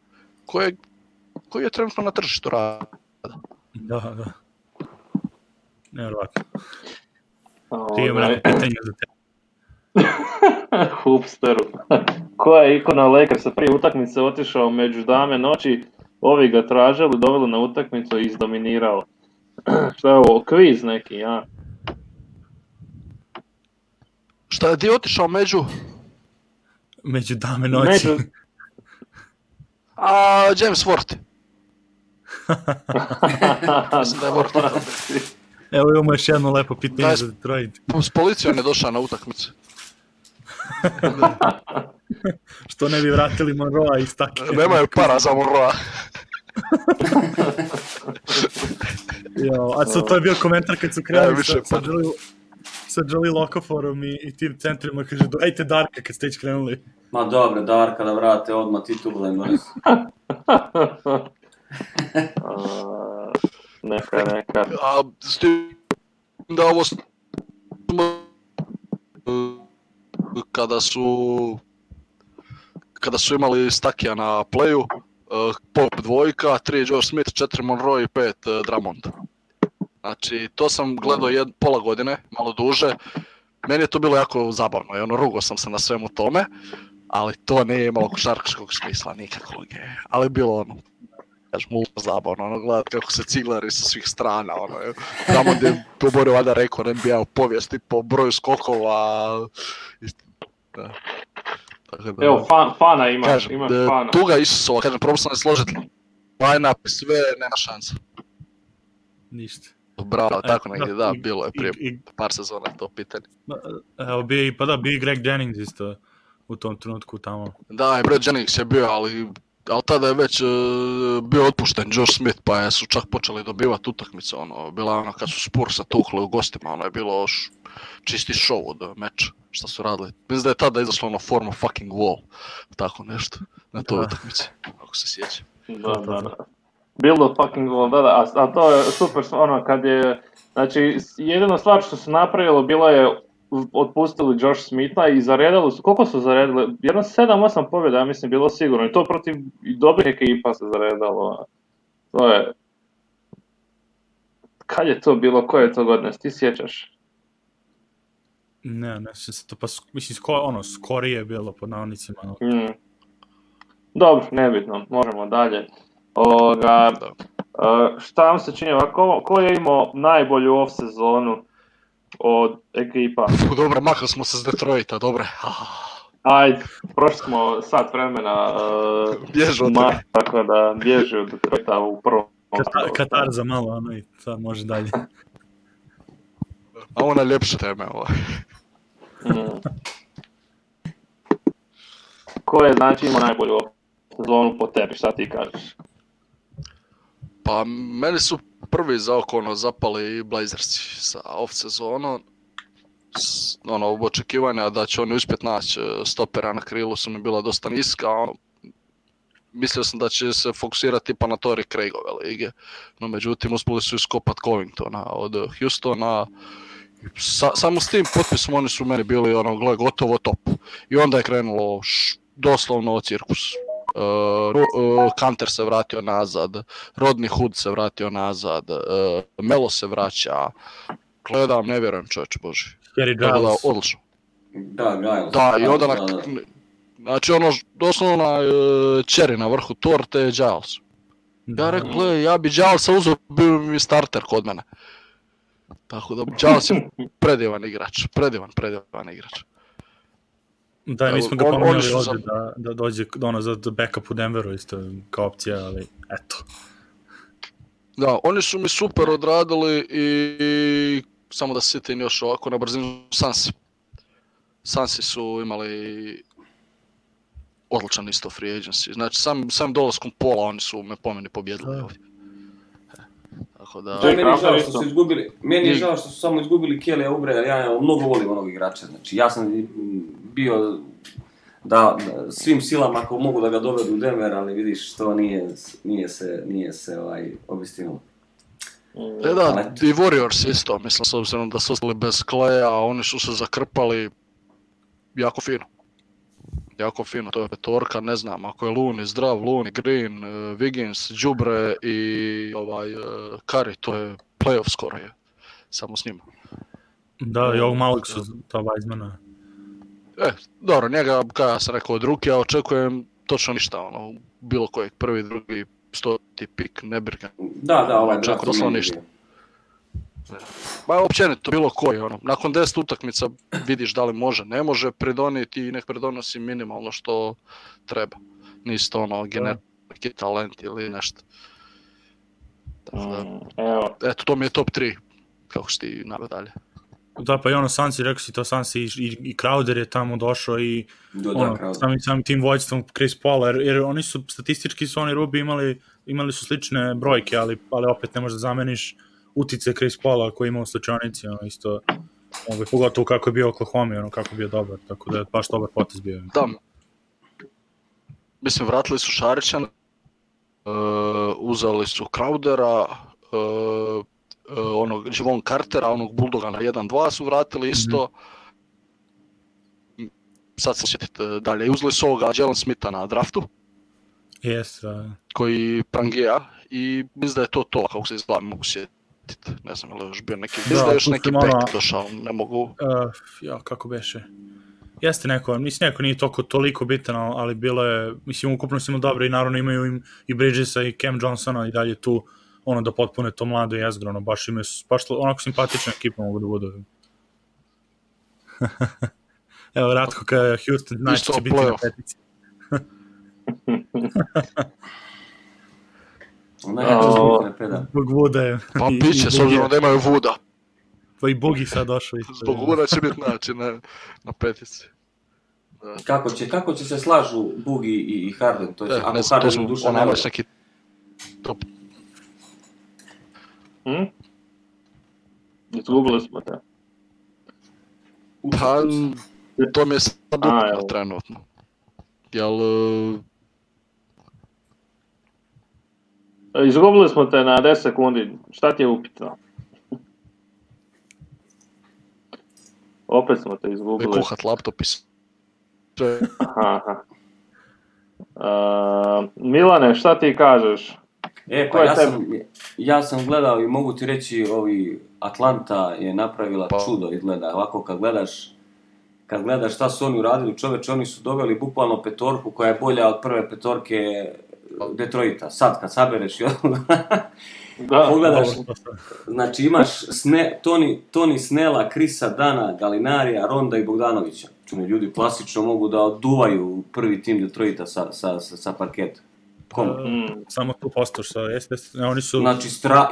koji je trenutno na tržištu rada. Da. Nevjerovatno. Imamo neko pitanje za te. Hoopsteru. Koja je ikona Lakersa prije utakmice otišao među dame noći, ovi ga tražili, doveli na utakmicu i izdominirao. Šta je ovo, kviz neki, ja? Šta je ti otišao među dame noći? James Worthy. Mislim da je Worthy. Evo imamo još jedno lepo pitanje za Detroit. S policijom je došao na utakmicu. Što ne bi vratili Monroea iz takve? Nemaju para za Monroea. A to je bio komentar kad su krenuli sa Jolie Lokaforom i tim centrima, kaže, dajte Darka kad ste već krenuli. Ma dobro, Darka da vrate odmah titulu im donesi. Neka. S tim da ovo kada su imali Stakija na playu, Pop 2, 3 Joe Smith, 4 Monroe i 5 Drummond. Znači, to sam gledao pola godine, malo duže. Meni je to bilo jako zabavno i rugo sam se na svemu tome, ali to nije imalo košarkaškog smisla nikakvog. Ali bilo zabavno, gledati kako se ciglari sa svih strana, Drummond je poborio valjda rekord NBA u povijesti po broju skokova. Evo, fana imaš fana. Tuga Isusova, kažem, probao sam ne složiti line-up i sve, nema šansa. Ništa. Bravo, tako negdje, da, bilo je prije par sezona to pitanje. Evo, bio i Greg Jennings isto u tom trenutku tamo. Da, i Brad Jennings je bio, ali tada je već bio otpušten Josh Smith, pa su čak počeli dobivati utakmice, bila kad su Spursa tukli u gostima, je bilo čisti show od meča, šta su radili. Mislim da je tada izašlo form of fucking wall, tako nešto, na toj utakmici, ako se sjeća. Da. Build of fucking wall, da, a to je super, kad je, znači, jedina stvar što su napravilo bilo je otpustili Josh Smitha i zaredali su, koliko su zaredili? Jedno 7-8 pobjeda, ja mislim, bilo sigurno. I to protiv dobrih ekipa se zaredalo. To je... Kad je to bilo? Koje je to godine? Ti sjećaš? Ne sjećam se to, pa mislim, skorije je bilo pod navodnicima. Dobro, nebitno, možemo dalje. Šta vam se čini, ko je imao najbolju off sezonu od ekipa? Dobro, makli smo se s Detroita, dobre. Ajde, prošli smo sat vremena. Bježi od toga. Tako da bježi od Detroita u prvom. Katar za malo, ono i sad može dalje. A ovo najljepše teme, ovo. Ko je, znači, imao najbolju sezonu po tebi, šta ti kažeš? Pa, meni su prvi za oko zapali Blazersi sa off sezonom. Očekivanja da će oni uspjeti naći stopera na krilu su mi bila dosta niska. Mislio sam da će se fokusirati pa na Torrey Craigove lige. No, međutim, uspjeli su iskopat Covingtona od Houstona. Samo s tim potpisom oni su meni bili gotovo top. I onda je krenulo doslovno cirkus. Kanter se vratio nazad, Rodney Hood se vratio nazad, Melo se vraća. Gledam, ne vjerujem, čovječe Boži. Odlično. Da, i onda znači doslovno cherry na vrhu torte je Giles. Ja rekao, ja bi Gilesa uzeo, bio mi starter kod mene. Tako da Giles je predivan igrač. Da, mi smo ga pomenuli ovdje da dođe za backup u Denveru isto kao opcija, ali eto. Da, oni su mi super odradili i samo da se sjetim još ovako na brzinu Sansi su imali odličan isto free agency. Znači sam dolaskom Pola oni su me po meni pobjedili ovdje. Tako da... Meni je žao što su samo izgubili Kelly Oubre, jer ja mnogo volim onog igrača. Znači ja sam bio da svim silama ako mogu da ga dovedu u Denver, ali vidiš to nije se obistinilo. Da, i Warriors isto, mislim, s obzirom da su ostali bez Claya, oni su se zakrpali jako fino, to je petorka, ne znam, ako je Looney zdrav, Looney, Green, Wiggins, Džubre i Curry, to je playoff skoro je, samo s njima. Da, i ovog malog su ta Weizmana. Dobro, njega, kao ja sam rekao od ruke, ja očekujem točno ništa, bilo kojeg, prvi, drugi, 100. pik, ne brigam. Da, ovaj draft doslovno ništa. Ba, općenito, bilo koji, nakon 10 utakmica vidiš da li može, ne može pridonijeti i nek pridonosi minimalno što treba. Nisto genetski talent ili nešto. Eto, to mi je top 3, kako si ti naveo dalje. Da, pa i Sansi, rekao si to Sansi i Crowder je tamo došao i samim tim vođstvom Chris Paula, jer oni su, statistički su oni Rubi imali su slične brojke, ali opet ne možeš da zameniš utice Chris Paula koji ima u slučajnici, isto, pogotovo kako je bio Oklahoma, kako je bio dobar, tako da je baš dobar potez bio. Da, mislim, vratili su Šarića, uzeli su Crowdera, Javon Cartera, onog Bulldoga na 1-2 su vratili isto. Sad se sjetite dalje, uzeli su ovoga Jalen Smitha na draftu. Koji prangija i mislim da je to, kako se izgleda, mogu sjetiti. Ne znam, ali još bio neki, mislim da je još neki pek došao, ne mogu. Kako beše? Jeste neko nije toliko bitan, ali bilo je, mislim, ukupno su imali dobro i naravno imaju i Bridgesa i Cam Johnsona i dalje tu, da potpune to mlado jezgro, baš imaju, onako simpatična ekipa mogu da budu. Evo, Ratko kada Houston znači će biti na petici. Zbog Vuda je. Pa piće, s obzirom da imaju Vuda. Pa i Bugi sad došao. Zbog Vuda će biti na petici. Kako će se slažu Bugi i Harden? Ne znam, to smo onamaš neki top. Izgubili smo te. Pa, to mi je sad upitno trenutno. Jel... Izgubili smo te na 10 sekundi, šta ti je upitno? Opet smo te izgubili. Ne kuhat laptop i sve. Milane, šta ti kažeš? Pa ja sam gledao i mogu ti reći, Atlanta je napravila čudo izgleda. Ovako kad gledaš šta su oni uradili, čoveče, oni su doveli bukvalno petorku koja je bolja od prve petorke Detroita. Sad kad sabereš i Da, pogledaš, znači imaš Tony Snella, Chrisa Dana, Galinarija, Ronda i Bogdanovića. Čune, ljudi klasično mogu da oduvaju prvi tim Detroita sa parketa. Samo tu postoš, oni su... Znači,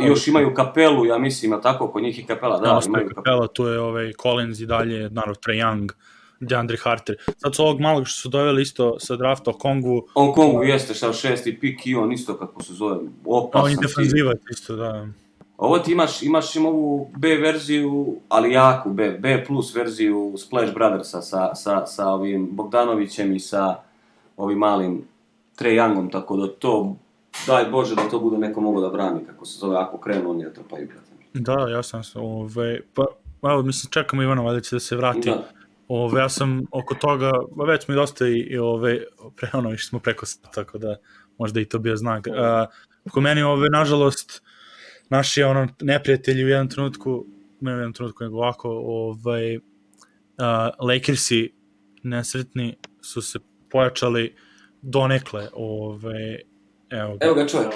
još imaju Kapelu, ja mislim, a tako, kod njih i Kapela, da, imaju Kapela, tu je Collins i dalje, naravno, Trae Young, DeAndre Hunter. Sad su ovog malog što su doveli isto sa drafta Kongu. On Kongu jeste, šao 6. pik i on isto, kako se zove, opasan. On je defanzivac isto, da. Ovo ti imaš ovu B verziju, ali jaku B plus verziju Splash Brothersa sa ovim Bogdanovićem i sa ovim malim Trae Youngom, tako da to, daj Bože da to bude neko mogo da brani, kako se zove, ako krenu oni da trpaju. Da, ja sam pa mislim, čekamo Ivana, valjda će da se vrati. Da. Ja sam oko toga, već smo i dosta išli smo preko sata, tako da možda i to bio znak. Ko meni, nažalost, naši neprijatelji u jednom trenutku, nego ovako, Lakersi nesretni su se pojačali donekle, evo ga čovjek.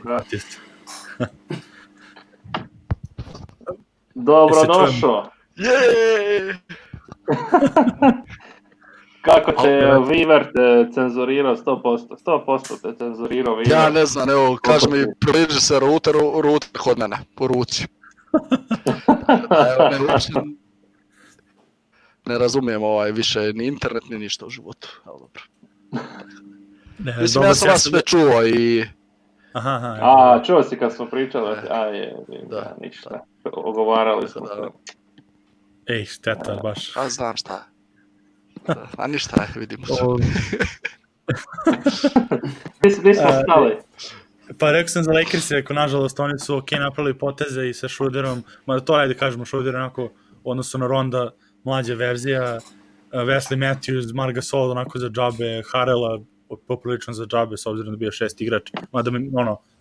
Dobro došao. Jeee! Kako te Weaver cenzurirao 100%? 100% te cenzurirao Weaver. Ja ne znam, evo, kaži mi, približi se router kod mene, po ruci. Ne razumijem više ni internet, ni ništa u životu. Ali dobro. Mislim, ja sam vas sve čuo i... Aha. Čuo si kad smo pričali, ništa. Ogovarali smo se. Ej, šteta, baš. A znam šta. A ništa, vidimo se. Gdje smo stali? Pa rekao sam za Lakers, nažalost, oni su napravili poteze i sa Schroederom, mada to ajde kažemo, Schroeder onako u odnosu na Ronda, mlađa verzija, Wesley Matthews, Marc Gasol onako za džabe, Harrella poprilično za džabe, s obzirom da bio 6 igrač, mada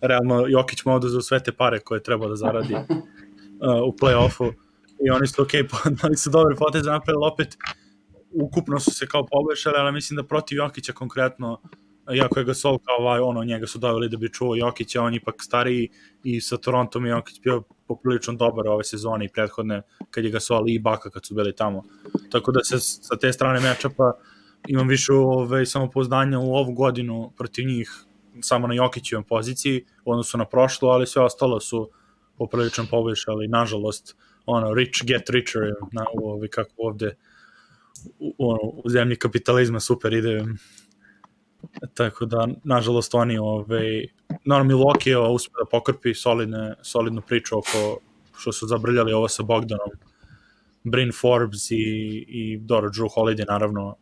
realno Jokić mu oduzeo sve te pare koje treba da zaradi u play-offu. I oni su ali su dobre poteze napravili, opet ukupno su se kao poboljšali, ali mislim da protiv Jokića konkretno, iako je Gasol kao njega su doveli da bi čuo Jokića, on ipak stariji i sa Torontom je Jokić bio poprilično dobar ove sezone i prethodne kad je Gasol i Ibaka kad su bili tamo. Tako da se sa te strane matchupa imam više samopouzdanja u ovu godinu protiv njih samo na Jokićevom poziciji u odnosu na prošlo, ali sve ostalo su poprilično poboljšali, nažalost. Rich get richer, kako ovde u zemlji kapitalizma super ide. Tako da, nažalost, oni, Milwaukee je uspio da pokrpi solidnu priču oko što su zabrljali ovo sa Bogdanom, Bryn Forbes i Drew Holiday, naravno,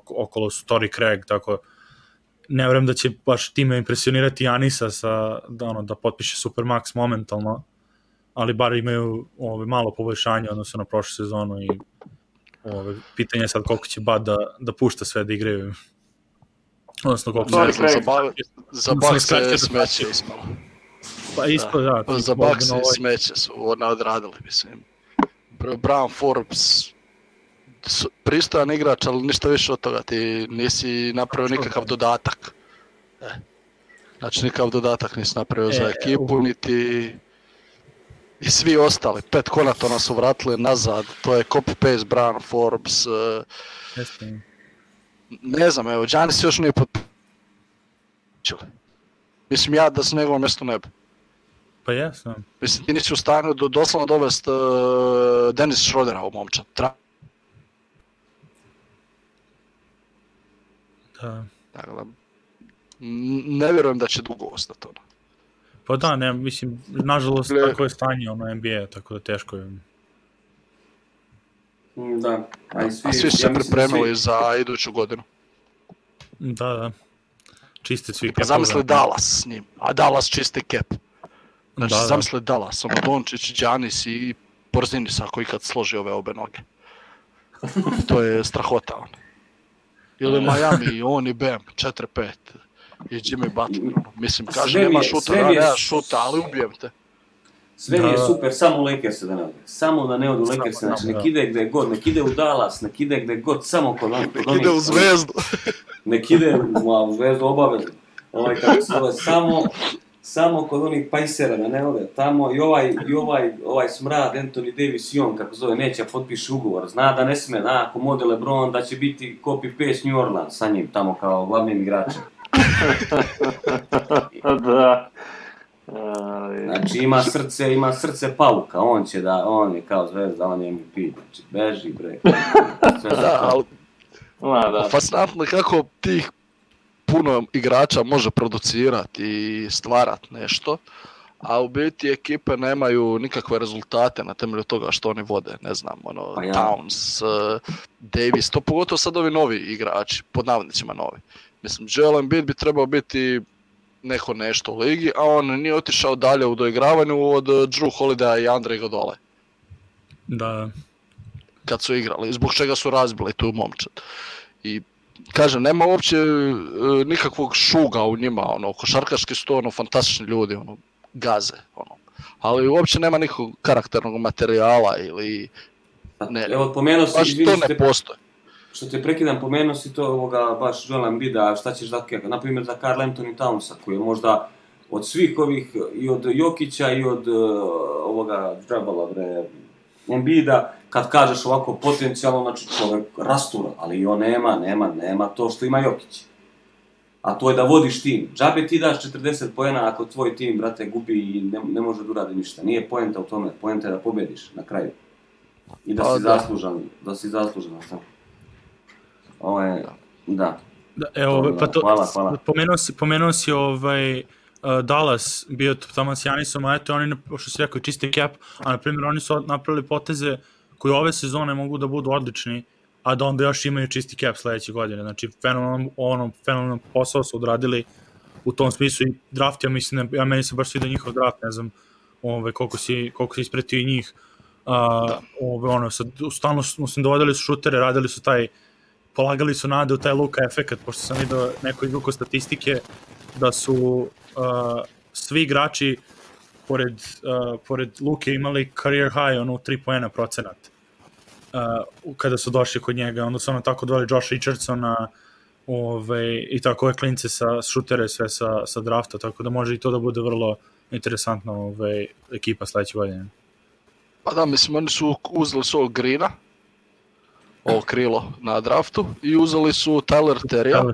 okolo su Torrey Craig, tako ne vjerujem da će baš time impresionirati Janisa da potpiše Supermax momentalno, ali bar imaju malo poboljšanje odnosno na prošlu sezonu i pitanje je sad koliko će Bad da pušta sve da igraju. Odnosno koliko će... Za Bucks se smeće ispalo. Pa ispalo, da. Za Bucks se smeće su odradili, mislim. Brown, Forbes, pristojan igrač, ali ništa više od toga. Ti nisi napravio nikakav dodatak. Znači nikakav dodatak nisi napravio za ekipu, niti... I svi ostali, 5 Konatona su vratili nazad, to je copy-paste, Brown, Forbes, ne znam, evo, Giannis još nije potpičili. Mislim, ja da se njegovom mjestu ne bi. Pa jesam. Mislim, ti nisi u stanju doslovno dovesti Dennis Schroedera u momčad. Da. Dakle, ne vjerujem da će dugo ostati ono. Pa da, ne, mislim, nažalost, tako je stanje NBA, tako da teško je. Da. A svi su se pripremili za iduću godinu. Da. Čiste svi cap. Zamisli Dallas s njim, a Dallas čisti cap. Znači, zamisli Dallas, Dončić, Giannis i Porzingis ako ikad složi ove obe noge. To je strahota on. Ili Miami, on i Bam, 4-5. I Jimmy Butler, mislim, kaže nema šuta, nema šuta, ali ubijem te. Sve mi je super, samo u Lakerse da ne ode. Samo da ne ode u Lakerse, znači nek ide gde god, nek ide u Dallas, nek ide gde god, samo kod onih. Nek ide u Zvezdu. Nek ide u Zvezdu obavezno. kako se zove, samo kod onih pajsera, ne ove, tamo i ovaj smrad, Anthony Davis i on, kako zove, neće potpiši ugovor, zna da ne sme, ako mode LeBron, da će biti copy-paste New Orleans sa njim, tamo kao glavnim igračem. Da. Znači ima srce pauka, on je kao zvezda, on je MVP, znači beži bre. Fascinantno kako tih puno igrača može producirati i stvarati nešto, a u biti ekipe nemaju nikakve rezultate na temelju toga što oni vode, ne znam, Towns, Davis, to pogotovo sad ovi novi igrači, pod navodnicima novi. Mislim, Joel Embiid bi trebao biti neko nešto u ligi, a on nije otišao dalje u doigravanju od Drew Holidaya i Andre Iguodale. Da. Kad su igrali, zbog čega su razbili tu momčad. I kažem, nema uopće nikakvog šuga u njima, košarkaški su to fantastični ljudi, gaze, ali uopće nema nikakvog karakternog materijala ili ne. Evo, pomenuo si, baš to ne postoje. Što te prekidam, pomenuo si to baš Joela Embida, šta ćeš da, na primjer za Karl Anthony Townsa, koji je možda od svih ovih, i od Jokića i od Džabala, Embida, kad kažeš ovako potencijalno, znači čovjek rastura, ali i on nema to što ima Jokić. A to je da vodiš tim. Džabe ti daš 40 poena ako tvoj tim, brate, gubi i ne može da uradi ništa. Nije poenta u tome, poenta je da pobediš na kraju. I da si zaslužan. Da. Evo, pa to, hvala. Pomenuo si Dallas bio tamo s Janisom, a eto oni, što si rekao, čisti cap, a na primjer oni su napravili poteze koji ove sezone mogu da budu odlični, a da onda još imaju čisti cap sledeće godine. Znači, fenomenalan posao su odradili u tom smislu i draft, meni se baš sviđa njihov draft, ne znam koliko si ispretio i njih. Stalno dovodili su šutere, radili su polagali su nade u taj Luka efekat, pošto sam vidio neko izvuko statistike da su svi igrači pored Luke imali career high, 3 poena procenat kada su došli kod njega, onda su tako doveli Josh Richardsona i tako ove klince sa šutere sve sa drafta, tako da može i to da bude vrlo interesantna ekipa sledeće godine. Pa da, mislim, oni su uzeli ovog Greena, ovo krilo na draftu, i uzeli su Tyler Terrya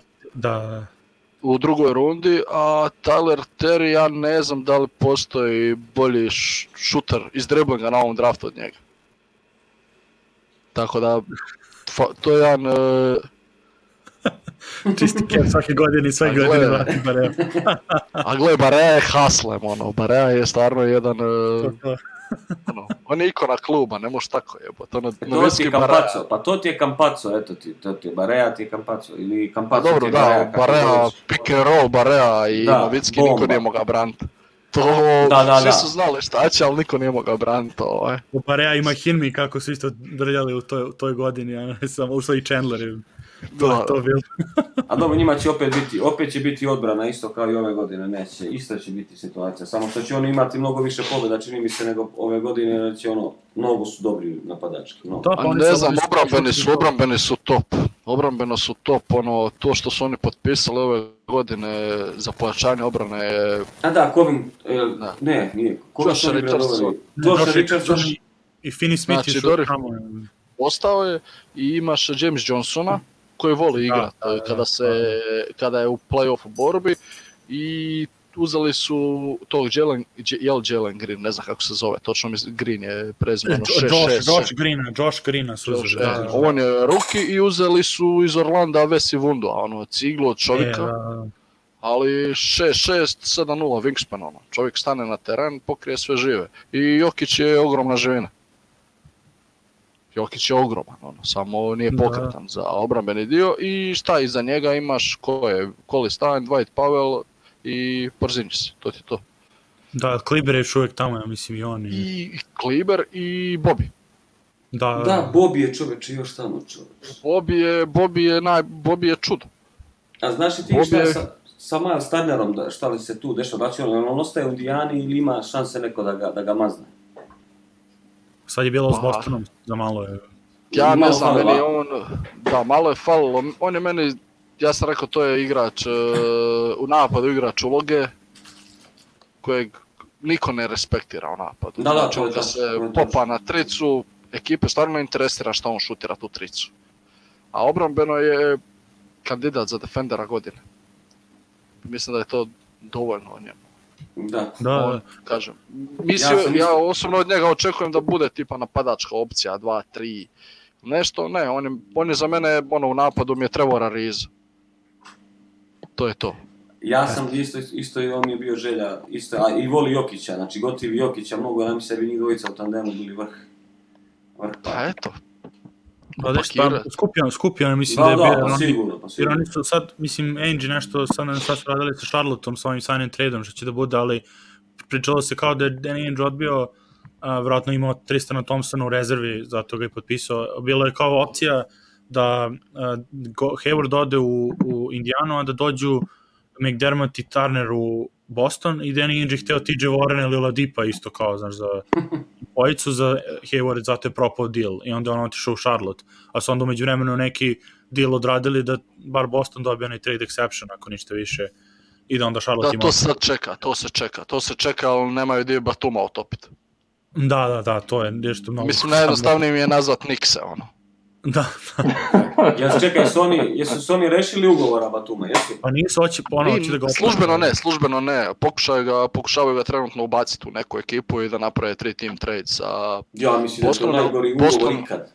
u drugoj rundi, a Tyler Terry, ja ne znam da li postoji bolji šuter iz driblinga na ovom draftu od njega. Tako da, to je jedan... Čisti cap svake godine i sve godine vrati Barea. A gle, Barea je haslem, Barea je stvarno jedan... on je ikona kluba, ne možeš tako jebati. To ti je Campazzo, eto ti, Barea ti je Campazzo, ili Campazzo ti je Barea. Barea, pick and roll, Barea i Novicki, niko nije mogao braniti. Svi su znali šta će, ali niko nije mogao braniti. Barea ima Hinmi kako su isto drljali u toj godini, a ne samo ušlo i Chandler. To bilo. A dobro, njima će opet će biti odbrana isto kao i ove godine, neće, isto će biti situacija, samo što će oni imati mnogo više pobjeda, čini mi se, nego ove godine, će mnogo su dobri napadački. Ne znam, obrambeno su top, to što su oni potpisali ove godine za pojačanje obrane je... A da, Kovin, nije, Josh Richardson i Finney Smith su tamo. Ostao je i imaš James Johnsona koji voli igrati kada je u play-offu borbi, i uzeli su tog Jalen Green, ne znam kako se zove, točno Green je prezimeno 6-6. Josh Greena su uzeli. On je rookie i uzeli su iz Orlanda Vesi Vundua, ciglu od čovjeka, ali 6-6, 7-0 wingspan, čovjek stane na teren, pokrije sve žive, i Jokić je ogromna živina. Jokić je ogroman, samo nije pokretan za obrambeni dio, i šta iza njega imaš, ko je Colin Stein, Dwight Powell i Porzingis, to ti je to. Da, Kleber je još uvijek tamo, ja mislim i on. I Kleber i Bobby. Da, Bobby je čoveče još tamo čoveče. Bobby je čudo. A znaš li ti šta sa Miles Turnerom, šta li se tu dešava, da će on ostaje u Indijani ili ima šanse neko da ga mazne? Sad je bilo s Bostonom, za malo je... Ja ne znam, meni malo je falilo, on je meni ja sam rekao to je igrač, u napadu igrač uloge kojeg niko ne respektira u napadu. Znači on se popa na tricu, ekipe stvarno ne interesira šta on šutira tu tricu. A obrambeno je kandidat za defendera godine. Mislim da je to dovoljno o njemu. Da. Kažem, ja osobno od njega očekujem da bude tipa napadačka opcija, 2, 3, nešto, ne, on je za mene, u napadu mi je Trevor Ariza. To je to. Ja sam isto i on mi je bio želja, isto, a i voli Jokića, znači gotiv Jokića mnogo, ja mi sebi njih dvojica u tandemu bili vrh. Pa eto. Skupio, mislim da je bio. Pa sigurno. Jer oni su sad, mislim, Ainge nešto sad su radili sa Charlotteom sa ovim sign and trade-om što će da bude, ali pričalo se kao da je Ainge odbio, vjerojatno imao Tristana Thompsona u rezervi, zato ga je potpisao. Bilo je kao opcija da Hayward ode u Indianu, a da dođu McDermott i Turner u Boston i Danny Ainge je hteo TJ Warren ili Oladipa isto kao, znaš, za bojicu za Hayward, zato je propao deal i onda on otišao u Charlotte, a su onda umeđu vremenu neki deal odradili da bar Boston dobije onaj trade exception ako ništa više i da onda Charlotte ima... To se čeka, ali nemaju gdje Batuma utopiti. Da, to je nešto mnogo... Mislim, najjednostavnije mi je nazvat Nixe, Da. Čekaj, jesu su oni rešili ugovora Batuma, jesu? Pa nisu, hoće da ga... Službeno ne. Pokušavaju ga trenutno ubaciti u neku ekipu i da naprave 3-team trade sa... Ja mislim da je to najgori ugovor ikad.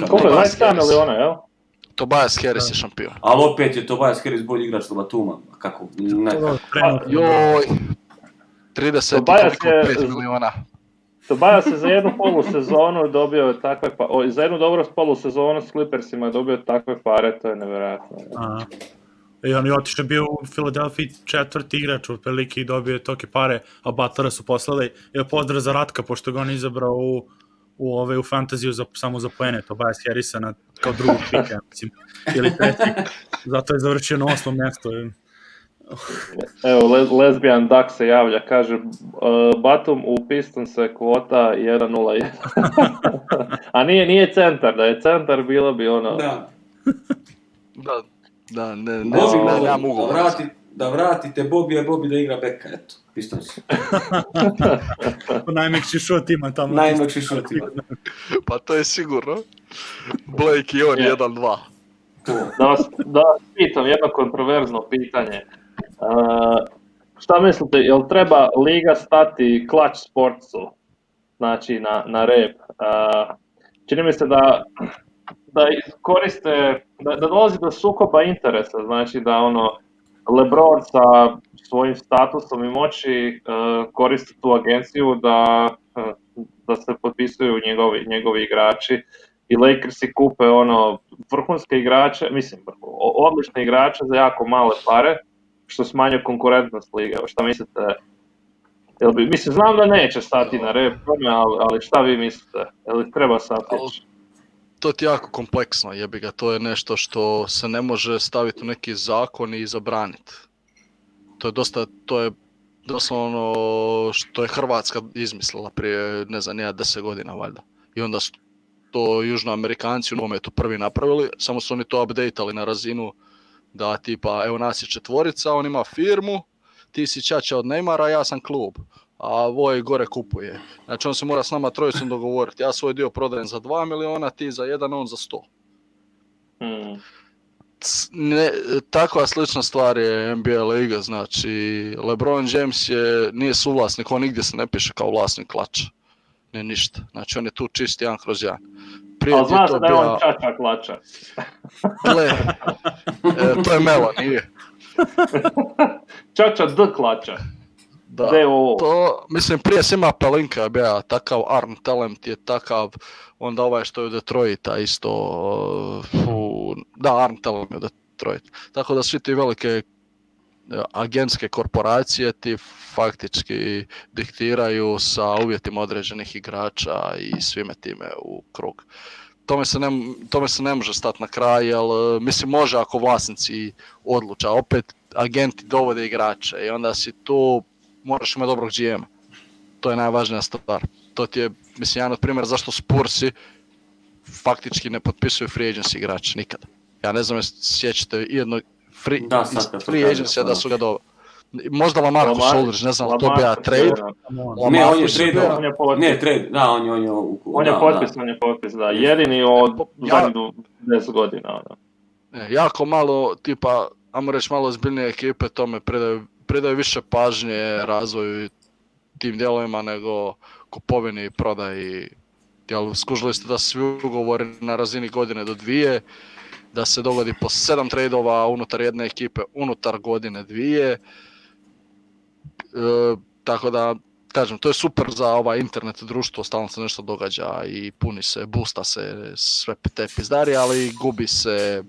Koliko je 27 miliona, jel? Tobias Harris je šampion. Ali opet je Tobias Harris bolji igrač od Batuma. Kako? Joj... 35 miliona. Tobias je za jednu polusezonu dobio za jednu dobru polusezonu s Clippersima je dobio takve pare, to je nevjerojatno. I on je otišao bio u Philadelphia 4. igrač u prilike i dobio tolike pare, a Butlera su poslali. Pozdrav za Ratka, pošto ga on izabrao u fantaziju samo za poene, Tobias Harrisa kao drugog pika, mislim, ili treći. Zato je završio na 8. mjestu. Evo, Lesbian Duck se javlja, kaže Batum u Pistonse kvota 1-0-1. A nije centar, da je centar bilo bi ono... Da, ne mogu. Da vratite Bobby da igra beka, eto, Pistonsi. Najmekši šut ima tamo. Pa to je sigurno. Blake i on 1-2. Da vas pitam jedno kontroverzno pitanje. Šta mislite, jel treba liga stati Clutch Sportsu, znači na rep? Čini mi se da koriste, da dolazi do sukoba interesa, znači da LeBron sa svojim statusom i moći koristi tu agenciju da se potpisuju njegovi igrači i Lakersi kupe vrhunske igrače, mislim odlične igrače za jako male pare, što smanjuje konkurentnost lige. Šta mislite? Mislim, znam da neće stati na rep, ali šta vi mislite? Jel treba stati? To ti je jako kompleksno, jebi ga. To je nešto što se ne može staviti u neki zakon i zabraniti. To je doslovno što je Hrvatska izmislila prije, 10 godina valjda. I onda su to Južnoamerikanci u nogometu prvi napravili, samo su oni to updateali na razinu da tipa, evo nas je 4, on ima firmu, ti si čača od Neymara, ja sam klub, a Voj gore kupuje. Znači on se mora s nama trojicom dogovoriti, ja svoj dio prodajem za 2 miliona, ti za 1, on za 100. Takva slična stvar je NBA liga, znači LeBron James nije suvlasnik, on nigdje se ne piše kao vlasnik klača, ne ništa, znači on je tu čist 1/1. Ali znaš da je on čača klača. Gle, to je Melo, nije. Čača D klača. Da, to, mislim, prije Sima Pelinka je bio takav, Arm Talent je takav, onda ovaj što je u Detroita isto, Arm Talent je u Detroit. Tako da svi ti velike agentske korporacije ti faktički diktiraju sa uvjetima određenih igrača i svime time u krug. Tome se ne može stati na kraj, jer mislim može ako vlasnici odluče, a opet agenti dovode igrače i onda si tu moraš imati dobrog GM. To je najvažnija stvar. To ti je, mislim, jedan od primjera zašto Spursi faktički ne potpisuju free agency igrače nikada. Ja ne znam jesi sjećate jedno free agency da su ga dobro. Možda Lamarcus Aldridge, ne znam, to bi ja trade. Ne, on je trade. Da, on je potpis, da. Jedini od zadnjih 10 godina. Jako malo, tipa, ajmo reći malo ozbiljnije ekipe tome predaju više pažnje razvoju tim dijelovima nego kupovini i prodaji. Jel, skužili ste da svi ugovori na razini godine do 2, da se dogodi po 7 tradeova unutar jedne ekipe, unutar godine 2. Tako da, kažem, to je super za ovaj internet društvo, stalno se nešto događa i puni se, boosta se sve te pizdarije, ali gubi se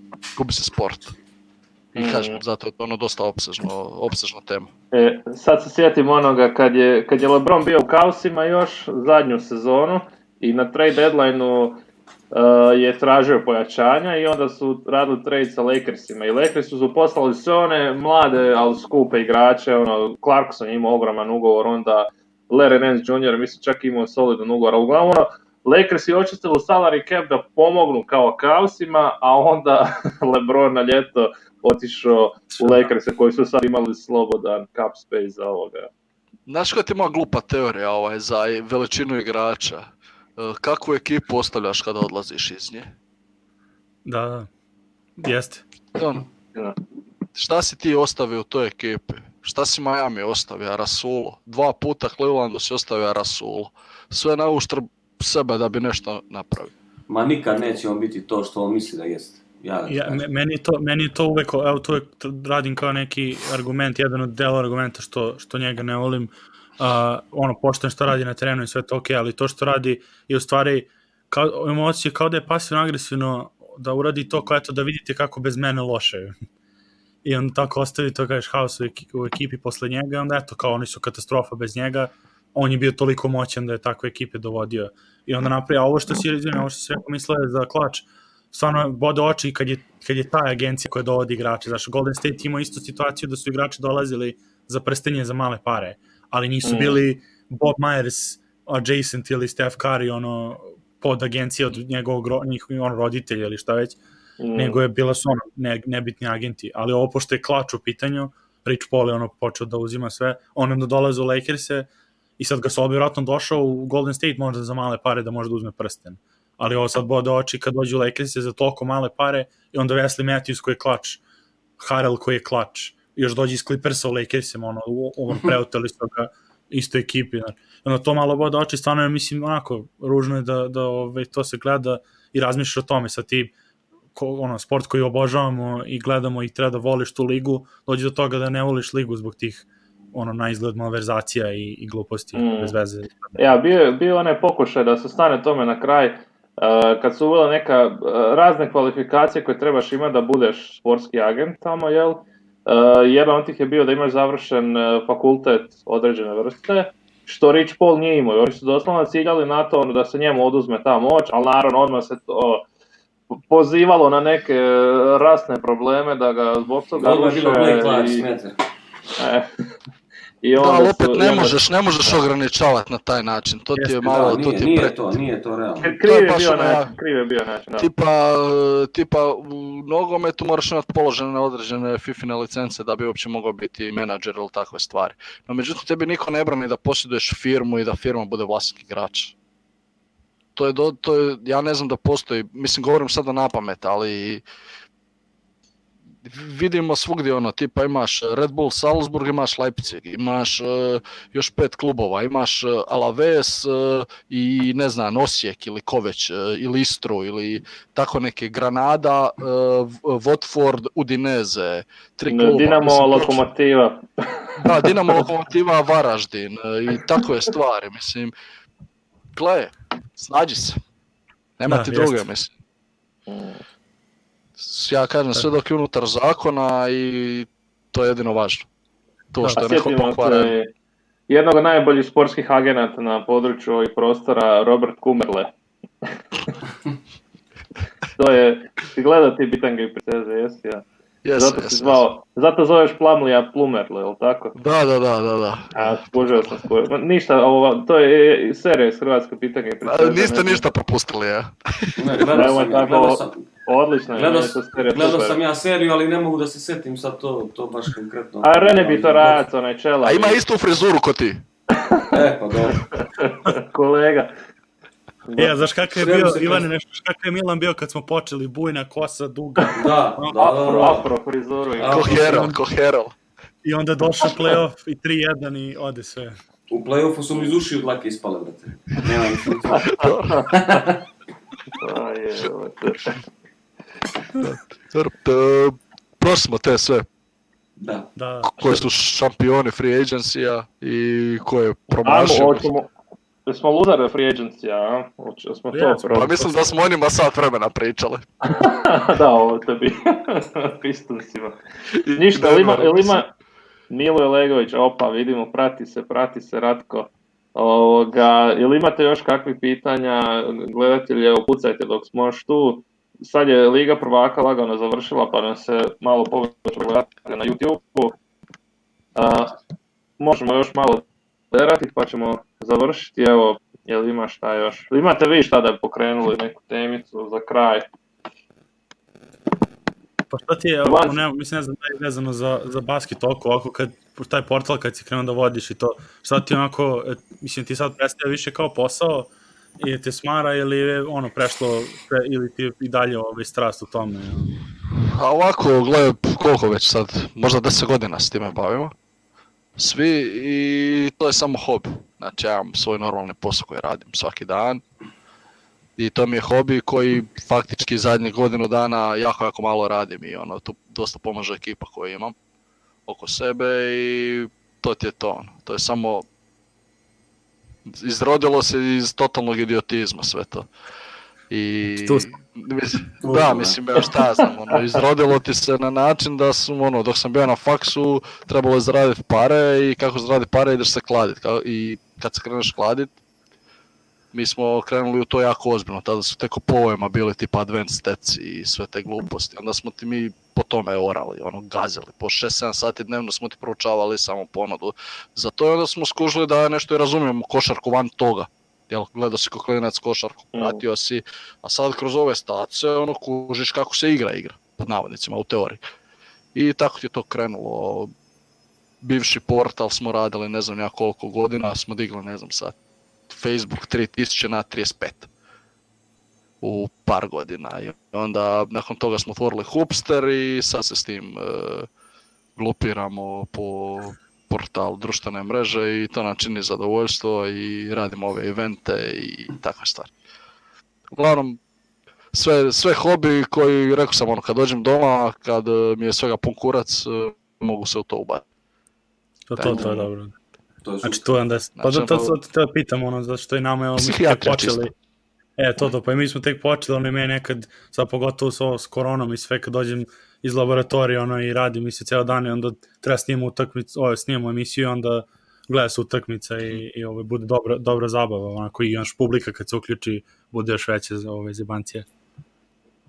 sport. I kažem, zato je to ono dosta opsežna tema. Sad se sjetim onoga kad je LeBron bio u Cavsima još zadnju sezonu i na trade deadline-u je tražio pojačanja i onda su radili trade sa Lakersima i Lakersi su poslali sve one mlade, ali skupe igrače, Clarkson je imao ogroman ugovor, onda Larry Nance Jr. mislim čak imao solidan ugovor, ali uglavnom Lakersi očistili salary cap da pomognu kao Cavsima, a onda LeBron na ljeto otišao u Lakerse koji su sad imali slobodan cap space za ovoga. Znaš koja ti ima glupa teorija za veličinu igrača? Kakvu ekipu ostavljaš kada odlaziš iz nje? Da, jeste. Šta si ti ostavio u toj ekipi? Šta si Miami ostavio? Rasulo. 2 puta Clevelandu si ostavio Rasulo. Sve na uštrb sebe da bi nešto napravio. Ma nikad neće on biti to što on misli da jeste. Meni je to uvek, evo to radim kao neki argument, jedan od dela argumenta što njega ne volim. Pošteno što radi na terenu i sve to okej, ali to što radi je u stvari emocije kao da je pasivno-agresivno da uradi to kao eto da vidite kako bez mene loše. I on tako ostavi to kažeš haos u ekipi posle njega i onda eto kao oni su katastrofa bez njega, on je bio toliko moćan da je takve ekipe dovodio. I onda napravi, a ovo što si rekao mislio je za klač, stvarno bode oči kad je ta agencija koja dovodi igrače. Znaš, Golden State imao istu situaciju da su igrači dolazili za prstenje za male pare, ali nisu bili Bob Myers adjacent ili Steph Curry pod agencije od njegovog roditelja ili šta već, nego je bila su nebitni agenti. Ali ovo pošto je klač u pitanju, Rich Paul je počeo da uzima sve, on onda dolaze u Lakers-e i sad ga Sol vjerojatno došao u Golden State možda za male pare da može da uzme prsten. Ali ovo sad bode oči kad dođu u Lakers-e za toliko male pare i onda Wesley Matthews koji je klač, Harrell koji je klač, još dođe iz Clippersa u Lakersima, preoteli su ga isto ekipi. Onda to malo bode oči, stvarno je, mislim, ružno je da to se gleda i razmišljaš o tome sa tim, sport koji obožavamo i gledamo i treba da voliš tu ligu, dođe do toga da ne voliš ligu zbog tih na izgled malverzacija i gluposti bez veze. Ja, bio onaj pokušaj da se stane tome na kraj, kad su uveli neka razne kvalifikacije koje trebaš imati da budeš sportski agent tamo, jel? Jedan od tih je bio da imaš završen fakultet određene vrste, što Rich Paul nije imao. Oni su doslovno ciljali na to da se njemu oduzme ta moć, ali naravno odmah se to pozivalo na neke rasne probleme da ga zbog toga ruše. Ali opet ne možeš ograničavati na taj način, to ti je malo... Nije to realno. Kriv je bio način. Tipa u nogometu moraš imati položene određene FIFA-ine licence da bi uopće mogao biti menadžer ili takve stvari. No međutim, tebi niko ne brani da posjeduješ firmu i da firma bude vlasnik igrača. To je, ja ne znam da postoji, mislim govorim sada na pamet, ali vidimo svugdje tipa imaš Red Bull Salzburg, imaš Leipzig, imaš još 5 klubova, imaš Alaves i ne znam, Osijek ili Koveć ili Istru ili tako neke, Granada, Watford, Udineze, 3 kluba. Dinamo, Lokomotiva. Da, Dinamo, Lokomotiva, Varaždin i takve stvari, mislim. Gle, snađi se. Nema ti druge, mislim. Ja kažem, sve dok je unutar zakona i to je jedino važno. To što je neko pokvaren. Jednog od najboljih sportskih agenata na području ovih prostora, Robert Kummerle. To je, ti gleda ti bitange i priteze, jesi ja? Zato zoveš Plumleya Plumerle, je li tako? Da. Skužio sam. Ništa, to je serija iz Hrvatske pitanje i priteze. Niste ništa propustili, ja? Odlično. Gledao sam ja seriju, ali ne mogu da se setim sad to baš konkretno. A Rene Bitorac, onaj čela. A ima istu frizuru ko ti. Pa dobro. Kolega. Ja, znaš kakav je bio, Ivane, nešto kakav je Milan bio kad smo počeli, bujna kosa, duga. Da. Afro frizuru. Ko Herald. I onda došao play-off i 3-1 i ode sve. U play-offu su mi iz ušiju dlake ispale, brate. Nema ih ništa. Prošli smo te sve. Da. Koji su šampioni free agency-a i ko je promašio. Smo luzare free agency-a, a? Smo to Pa mislim da smo o njima sat vremena pričali. Da, ovo tebi. Pistonsima. Ništa, ili ima Milo Elegović, opa, vidimo, prati se Ratko. Ili imate još kakvih pitanja, gledatelje, upucajte dok smo još tu. Sad je Liga prvaka lagano završila, pa nam se malo povećalo gledati na YouTube-u. Možemo još malo derati, pa ćemo završiti. Evo, jel ima šta još? Imate vi šta da pokrenuli neku temicu za kraj? Pa šta ti je, mislim ne znam da je vezano za basket toliko, ovako kad taj portal kad si krenuo da vodiš i to, šta ti onako, mislim ti sad predstavlja više kao posao ili te smara ili je ono prešlo, ili ti i dalje strast u tome? A ovako, gledaj, koliko već sad, možda 10 godina s time bavimo, svi, i to je samo hobi. Znači ja imam svoj normalni posao koji radim svaki dan. I to mi je hobi koji faktički zadnjih godinu dana jako malo radim i tu dosta pomaže ekipa koju imam oko sebe i to ti je to. To je samo, izrodilo se iz totalnog idiotizma sve to. I mislim, šta ja znam, izrodilo ti se na način da sam, dok sam bio na faksu, trebalo je zaraditi pare i kako zaraditi pare ideš se kladit. I kad se kreneš kladit, mi smo krenuli u to jako ozbiljno, tada su tek povojima bili tipa advanced stats i sve te gluposti, onda smo ti mi po tome orali, gazili, po 6-7 sati dnevno smo ti proučavali samo ponudu za to i onda smo skužili da nešto i razumijemo košarku van toga, gledao si ko klinac košarku, pratio si, a sad kroz ove stace kužiš kako se igra, pod navodnicima, u teoriji. I tako ti je to krenulo, bivši portal smo radili ne znam ja koliko godina, smo digli ne znam sad, Facebook 3000 na 35 u par godina i onda nakon toga smo otvorili Hoopster i sad se s tim glupiramo po portalu društvene mreže i to nam čini zadovoljstvo i radimo ove evente i takve stvari. Uglavnom, sve hobi koji, rekao sam, kad dođem doma, kad mi je svega pun kurac, mogu se u to ubati. To je dobro. Znači to je onda, pa to pitam, zato što i nama mi smo tek počeli, pa i mi smo tek počeli, meni nekad, sad pogotovo s koronom i sve, kad dođem iz laboratorija i radim i se cijelo dan i onda treba snimamo emisiju i onda gleda se utakmica i bude dobra zabava, onako i publika kad se uključi bude još veće za ove zebancije.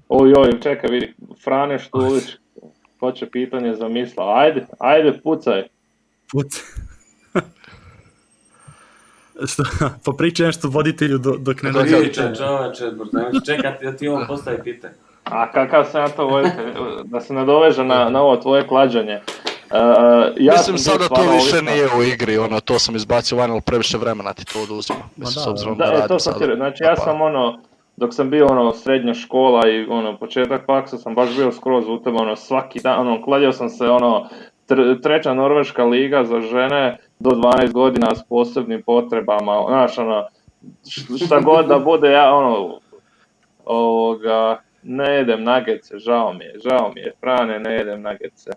Oj, čekaj, vidi, Frane Štulić, hoće pitanje za misla, ajde, pucaj. Pa pričaj nešto voditelju dok ne dođe. Čekati da ti ovo postavi pitanje. A kakav sam ja to voditelj, da se nadoveže na ovo tvoje klađanje. Mislim sada to više nije u igri, to sam izbacio van, ali previše vremena ti to oduzima. Mislim, s obzirom da radim sada. Znači ja sam dok sam bio srednja škola i početak faksa sam baš bio skroz u tebe, svaki dan, kladio sam se, treća norveška liga za žene do 12 godina s posebnim potrebama, znaš, šta god da bude, ja, ne jedem nagece, žao mi je, Frane, ne jedem nagece,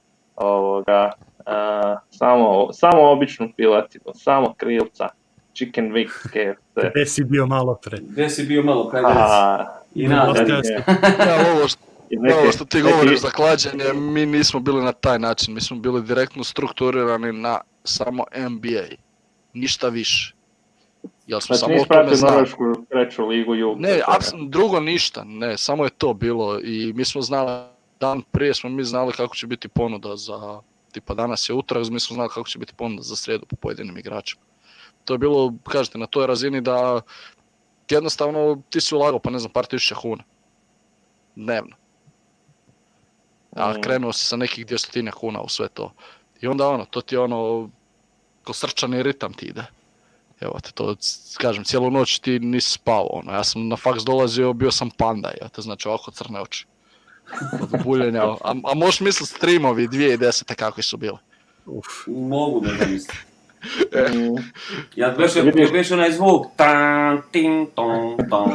samo običnu pilatinu, samo krilca, chicken wings, KFC. Gde si bio malo pre? Kaj reci? I nadalje. Ovo što ti govoriš za klađenje, mi nismo bili na taj način, mi smo bili direktno strukturirani na samo NBA, ništa više. Znači nisi pratio Norvešku treću ligu Jug? Ne, apsolutno drugo ništa, ne, samo je to bilo i mi smo znali, dan prije smo mi znali kako će biti ponuda za, tipa danas je utorak, mi smo znali kako će biti ponuda za srijedu po pojedinim igračima. To je bilo, kažete, na toj razini da jednostavno ti si ulagao, pa ne znam, par tisuća kuna dnevno. a krenuo si sa nekih 200 kuna u sve to. I onda to ti ko srčani ritam ti ide. Evo te to, kažem, cijelu noć ti nisi spao, ja sam na faks dolazio, bio sam panda, znači ovako crne oči. Od buljenja, a možeš misliti streamovi 2010. kakvi su bili? Mogu da zamislim. Ja beš onaj zvuk tan, ting, tong, tong.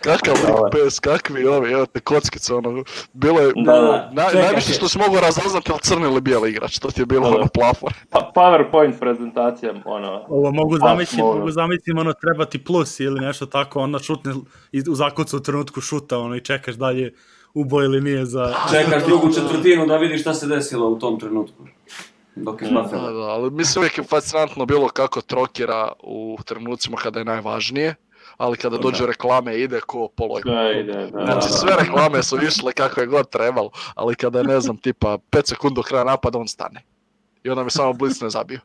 Kakav pes, kakvi ovi, evo te kockice, bilo je, najviše što si mogao razaznati ali crni ili bijeli igrač, to ti je bilo plafon. PowerPoint prezentacija, Ovo mogu zamislim, treba ti plus ili nešto tako, šutne u zakucu u trenutku šuta, i čekaš dalje ubo ili nije za... Čekaš drugu četvrtinu da vidiš šta se desilo u tom trenutku. Dok je Buffalo. Da, ali mislim uvijek je fascinantno bilo kako trokira u trenucima kada je najvažnije, ali kada dođe reklame ide ko polojko. Znači sve reklame su išle kako je god trebalo, ali kada je, ne znam, tipa 5 sekundi do kraja napada, on stane. I onda mi samo blicne zabio.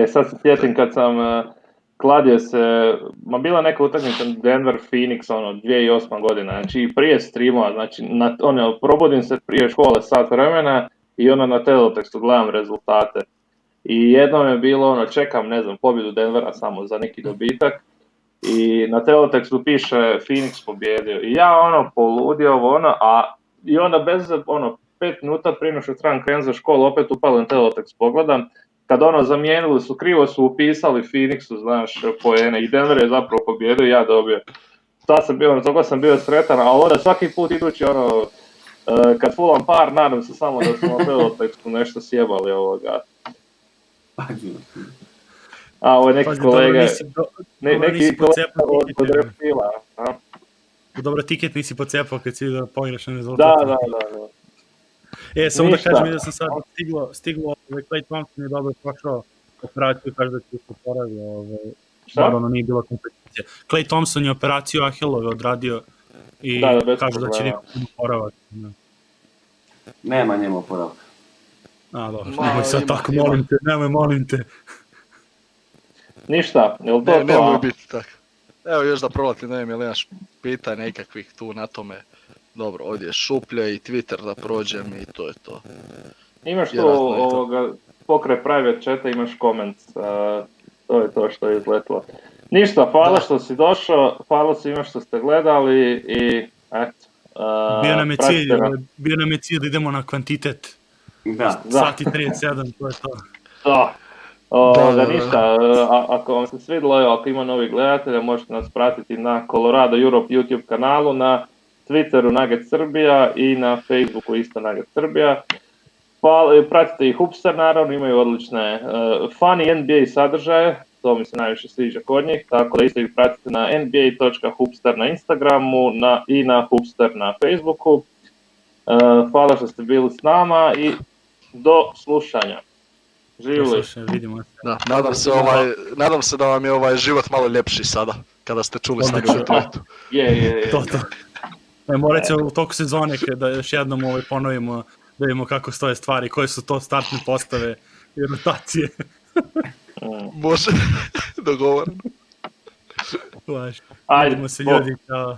Sad se sjetim kad sam kladio se, bila neka utakmica Denver Phoenix, 2008. godina, znači prije streamova, znači probudim se prije škole sat vremena i na teletekstu gledam rezultate. I jednom je bilo, čekam, ne znam, pobjedu Denvera samo za neki dobitak i na teletekstu piše Phoenix pobjedio. I ja poludio i onda bez 5 minuta prije nego što trebam krenuti za školu, opet upalim teletekst, pogledam. Kad zamijenili su, krivo su upisali Phoenixu, znaš, poene i Denver je zapravo pobjedio i ja dobio. Sad sam bio, toga sam bio sretan, a onda svaki put idući kad fulam par, nadam se samo da smo na teletekstu nešto sjebali ovoga. A ovo je neki kolega, neki kolega od Reptila. Dobro, tiket nisi pocepao kad si da pogrešan rezultat. Da. Samo da kažem da sam sad stiglo, Klay Thompson je dobro prošao operaciju, kaže da će se poravi, naravno nije bila kompeticija. Klay Thompson je operaciju Ahilove odradio i kaže da će neko poravati. Nema njemu oporavka. Dobro, nemoj sad tako, molim te. Ništa, je li to to? Nemoj biti tako. Evo još da prolati, ne znam, imaš pitanja nekakvih tu na tome. Dobro, ovdje je šuplja i Twitter da prođem i to je to. Imaš tu pokraj private chata, imaš comments, to je to što je izletilo. Ništa, hvala što si došao, hvala svima što ste gledali i eto. Bio nam je cilj da idemo na kvantitet. Da. Sati 37, to je to. Da. Ništa, ako vam se svidilo, ako ima novih gledatelja, možete nas pratiti na Colorado Europe YouTube kanalu, na Twitteru Nugget Srbija i na Facebooku isto Nugget Srbija. Pratite i Hoopster, naravno, imaju odlične funny NBA sadržaje, to mi se najviše sviđa kod njih, tako da isto ih pratite na nba.hoopster na Instagramu i na Hoopster na Facebooku. Hvala što ste bili s nama i do slušanja. Živjeli. Nadam se da vam je ovaj život malo ljepši sada, kada ste čuli s njegove tweetu. Je. To. Morat će u toku sezone da još jednom ponovimo, da vidimo kako stoje stvari, koje su to startne postave i rotacije. Može, dogovorno. Ajde, vidimo se ljudi, čao.